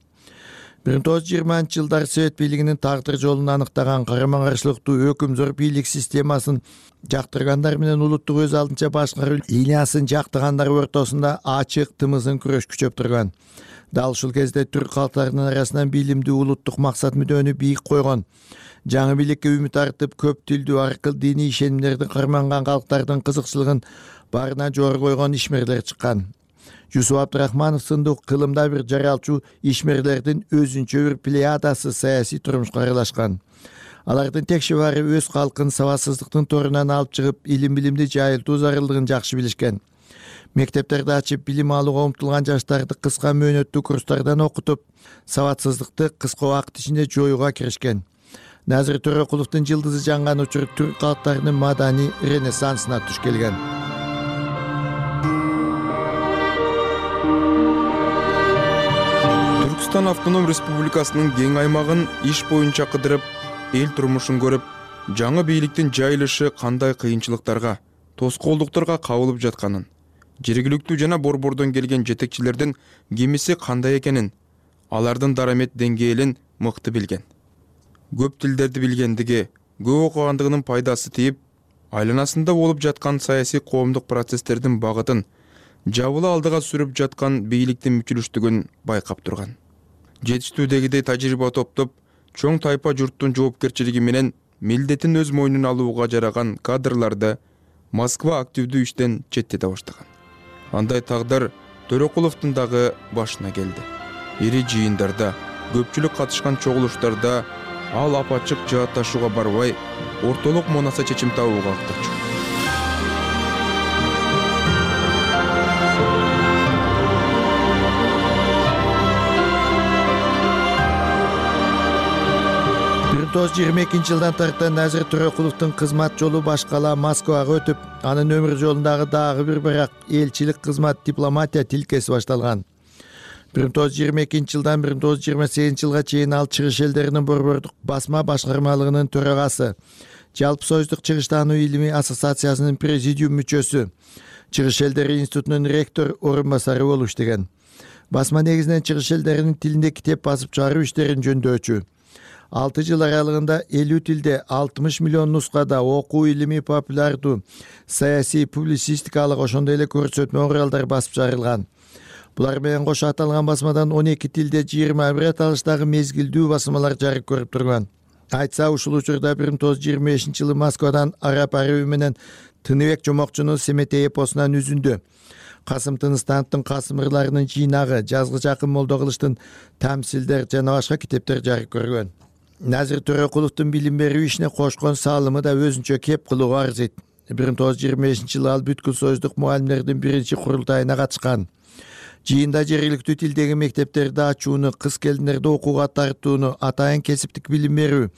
бир миң тогуз жүз жыйырманчы жылдары Совет бийлигинин тагдыр жолун аныктаган карама каршылыктуу өкүмзор бийлик системасын жактыргандар менен улуттук өз алдынча башкаруу линиясын жактагандар ортосунда ачык тымызын күрөш күчөп турган. Дал ушул кезде түрк калктарынын арасынан билимдүү улуттук максат мүдөнү бийик койгон, жаңы бийликке үмүт артып, көп тилдүү, аркыл диний ишенимдерди карманган калктардын кызыкчылыгын барына жогору койгон ишмерлер чыккан. Жусуп Абдрахманов сындуу кылымда бир жаралчу ишмерлердин өзүнчө бир плеядасы саясий турмушка аралашкан. Алардын текши баары өз калкын сабатсыздыктын торунан алып чыгып, илим билимди жайылтуу зарылдыгын жакшы билишкен. Мектептерди ачып, билим алууга умтулган жаштарды кыска мөөнөттүү курстардан окутуп, сабатсыздыкты кыска убакыт ичинде жоюуга киришкен. Назир Төрөкуловдун жылдызы жанган учур түрк калктарынын маданий ренессансына туш келген. Түркстан автоном республикасынын кең аймагын иш боюнча кыдырып, эл турмушун көрүп, жаңы бийликтин жайылышы кандай кыйынчылыктарга, тоскоолдуктарга кабылып жатканын, жергиликтүү жана борбордон келген жетекчилердин кемиси кандай экенин, алардын дарамет деңгээлин мыкты билген. Көп тилдерди билгендиги, көп окугандыгынын пайдасы тийип, айланасында болуп жаткан саясий коомдук процесстердин багытын жабыла алдыга сүрүп жаткан бийликтин мүчүлүштүгүн байкап турган. Жетиштүүдөгүдөй тажрыйба топтоп, чоң тайпа журттун жоопкерчилиги менен милдетин өз мойнуна алууга жараган кадрларды Москва активдүү иштен четтете баштаган. Андай тагдыр Төрөкуловдун дагы башына келди. Ири жыйындарда, көпчүлүк катышкан чогулуштарда ал апачык жаатташууга барбай, ортолук монаса чечим табууга ыктырчу. бир миң тогуз жүз жыйырма экинчи жылдан тарта Назир Төрөкуловдун кызмат жолу башкала Москвага өтүп, анын өмүр жолундагы дагы бир бирок элчилик кызмат, дипломатия тилкеси башталган. бир миң тогуз жүз жыйырма экинчи жылдан бир миң тогуз жүз жыйырма сегизинчи жылга чейин ал чыгыш элдеринин борбордук басма башкармалыгынын төрагасы, Жалпы Союздук Чыгыш таануу илимий ассоциациясынын президиум мүчөсү, Чыгыш элдери институтунун ректор орун басары болуп иштеген. Басма негизинен чыгыш элдеринин тилинде китеп басып чыгаруу иштерин жөндөчү. алты жыл аралыгында элүү тилде алтымыш миллион нускада окуу, илимий, популярдуу, саясий, публицистикалык ошондой эле көрсөтмө уралдар басып чыгарылган. Булар менен кошо аталган басмадан он эки тилде жыйырма бир аталыштагы мезгилдүү басмалар жарык көрүп турган. Айтса, ушул учурда бир миң тогуз жүз жыйырма бешинчи жылы Москвадан араб арыбы менен Тыныбек Жомокчунун Семетей эпосунан үзүндү. Касым Тыныстановдун Касым ырларынын жыйнагы, жазгыч Акын Молдокылычтын Тамсилдер жана башка китептер жарык көргөн. Назир Төрөкуловдун билим берүү ишине кошкон салымы да өзүнчө кеп кылууга арзыйт. бир миң тогуз жүз жыйырма бешинчи жылы ал бүткүл союздук мугалимдердин биринчи курултайына катышкан. Жыйында жергиликтүү тилдеги мектептерди ачууну, кыз келиндерди окууга тартууну, атайын кесиптик билим берүү,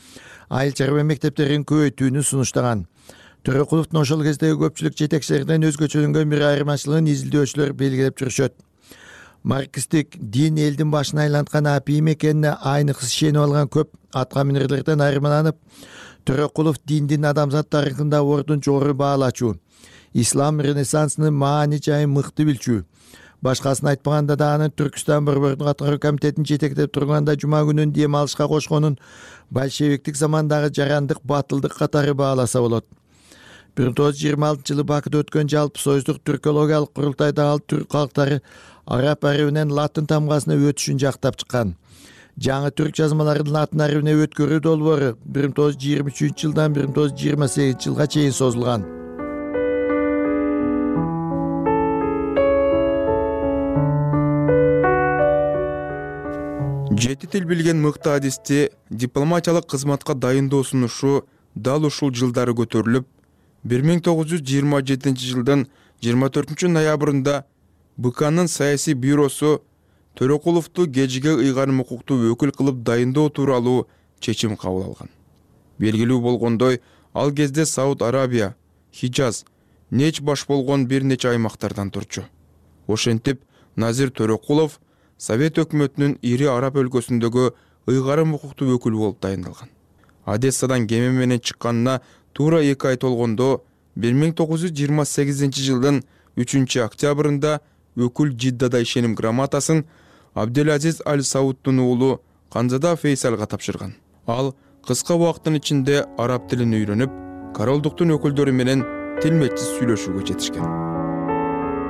айыл чарба мектептерин көбөйтүүнү сунуштаган. Төрөкуловдун ошол кездеги көпчүлүк жетекчилеринен өзгөчөлөнгөн бир айырмачылыгын изилдөөчүлөр белгилеп жүрүшөт. Марксистик дин элдин башын айланткан апийим экенине айныксы ишенип алган көп атка минерлерден айырмаланып, Төрөкулов диндин адамзат тарыхында ордун жогору баалачу, ислам ренессансынын маани жайын мыкты билчү. Башкасын айтпаганда да анын Түркүстан борбордук аткаруу комитетин жетектеп турганда жума күнүн дем алышка кошконун большевиктик замандагы жарандык батылдык катары бааласа болот. бир миң тогуз жүз жыйырма алтынчы жылы Бакыда өткөн жалпы союздук түркологиялык курултайда ал түрк калктары араб арабинен латын тамгасына өтүшүн жактап чыккан. Жаңы түрк жазмаларын латын арабине өткөрүү долбоору бир миң тогуз жүз жыйырма үчүнчү жылдан бир миң тогуз жүз жыйырма сегизинчи жылга чейин созулган. Жети тил билген мыкты адисти дипломатиялык кызматка дайындоо сунушу дал ушул жылдары көтөрүлүп, бир миң тогуз жүз жыйырма жетинчи жылдын жыйырма төртүнчү ноябрында БКнын саясий бюросу Төрөкуловду кежиге ыйгарым укуктуу өкүл кылып дайындоо тууралуу чечим кабыл алган. Белгилүү болгондой, ал кезде Сауд Арабия, Хижаз, Неч баш болгон бир нече аймактардан турчу. Ошентип, Назир Төрөкулов Совет өкмөтүнүн ири араб өлкөсүндөгү ыйгарым укуктуу өкүлү болуп дайындалган. Одессадан кеме менен чыкканына туура эки ай толгондо бир миң тогуз жүз жыйырма сегизинчи жылдын үчүнчү октябрында өкүл Жиддада ишеним грамотасын Абделазиз Аль Саудтун уулу Канзада Фейсалга тапшырган. Ал кыска убакыттын ичинде араб тилин үйрөнүп, королдуктун өкүлдөрү менен тилметчис сүйлөшүүгө жетишкен.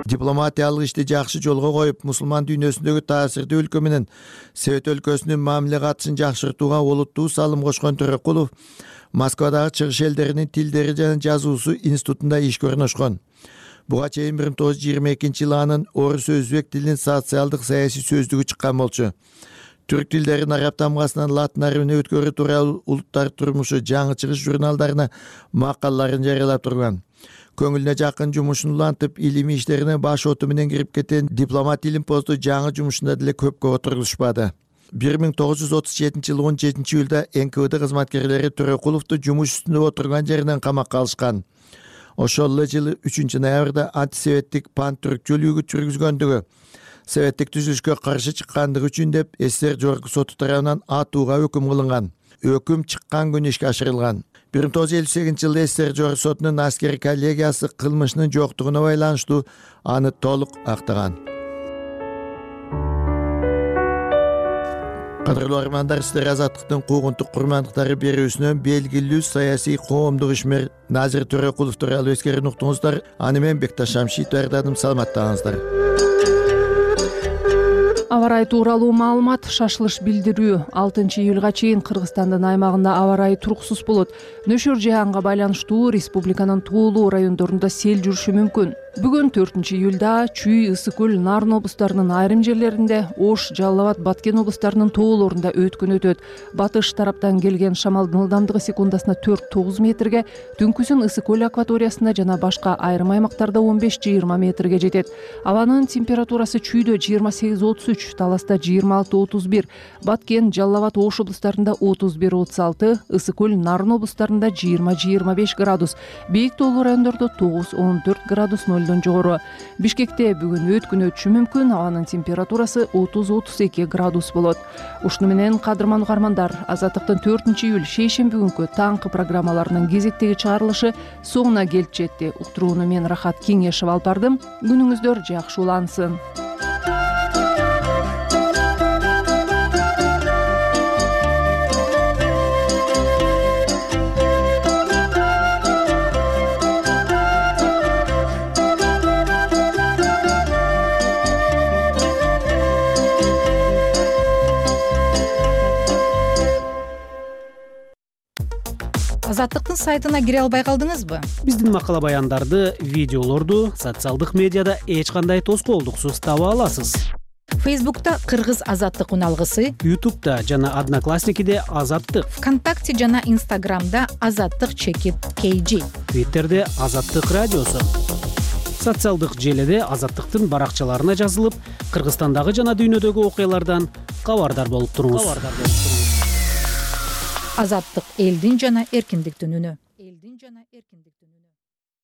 Дипломатиялык ишти жакшы жолго коюп, мусулман дүйнөсүндөгү таасирдүү өлкө менен Совет өлкөсүнүн мамиле катышын жакшыртууга олуттуу салым кошкон Төрөкулов Москвадагы чыгыш элдеринин тилдери жана жазуусу институтунда ишке орношкон. Буга чейин бир миң тогуз жүз жыйырма экинчи жылы анын орус өзбек тилинин социалдык саясий сөздүгү чыккан болчу. Түрк тилдерин араб тамгасынан латын арабине өткөрүү тууралуу улуттар турмушу жаңы чыгыш журналдарына макалаларын жарыялап турган. Көңүлүнө жакын жумушун улантып, илимий иштерине баш оту менен кирип кеткен дипломат илимпоздо жаңы жумушунда деле көпкө отургузушпады. бир миң тогуз жүз отуз жетинчи жылы он жетинчи июлда эн ка вэ дэ кызматкерлери Төрөкуловду жумуш үстүндө отурган жеринен камакка алышкан. Ошол эле жылы үчүнчү ноябрда антисоветтик пан-түркчүл үгүт жүргүзгөндүгү, советтик түзүлүшкө каршы чыккандыгы үчүн деп СССР жогорку соту тарабынан атууга өкүм кылынган. Өкүм чыккан күнү ишке ашырылган. бир миң тогуз жүз элүү сегизинчи жылы СССР жогорку сотунун аскери коллегиясы кылмышынын жоктугуна байланыштуу аны толук актаган. Кадырлуу армандар, сиздер Азаттыктын куугунтук курмандыктары берүүсүнөн белгилүү саясий коомдук ишмер Назир Төрөкулов тууралуу эскерин уктуңуздар. Аны мен Бекташ Шамшит даярдадым. Саламаттаңыздар. Аба ырайы тууралуу маалымат. Шашылыш билдирүү. алтынчы июлга чейин Кыргызстандын аймагында аба ырайы туруксуз болот. Нөшөр жаанга байланыштуу республиканын тоолуу райондорунда сел жүрүшү мүмкүн. Бүгүн төртүнчү июлда Чүй, Ысык көл, Нарын облустарынын айрым жерлеринде, Ош, Жалал Абад, Баткен облустарынын тоолорунда өткөн өтөт. Батыш тараптан келген шамалдын ылдамдыгы секундасына төрт тогуз метрге, түнкүсүн Ысык көл акваториясында жана башка айрым аймактарда он беш жыйырма метрге жетет. Абанын температурасы Чүйдө жыйырма сегиз отуз үч, Таласта жыйырма алты отуз бир, Баткен, Жалал Абад, Ош облустарында отуз бир отуз алты, Ысык көл, Нарын облустарында жыйырма жыйырма беш градус, бийик тоолуу райондордо тогуз он төрт градус нолдон жогору. Бишкекте бүгүн өткүн өтүшү мүмкүн, абанын температурасы отуз отуз эки градус болот. Ушуну менен кадырман угармандар, Азаттыктын төртүнчү июль шейшемби күнкү таңкы программаларынын кезектеги чыгарылышы соңуна келип жетти. Уктурууну мен Рахат Кеңешев алып бардым. Күнүңүздөр жакшы улансын. сайтына кире албай калдыңызбы? Биздин макала баяндарды, видеолорду социалдык медиада эч кандай тоскоолдуксуз таба аласыз. Фейсбукта Кыргыз азаттык уналгысы, Ютубта жана Одноклассникиде Азаттык, ВКонтакте жана Инстаграмда Азаттык чекит кей джи, Твиттерде Азаттык радиосу. Социалдык желеде Азаттыктын баракчаларына жазылып, Кыргызстандагы жана дүйнөдөгү окуялардан кабардар болуп туруңуз. Азаттык Азаттык элдин жана эркиндиктин үнү.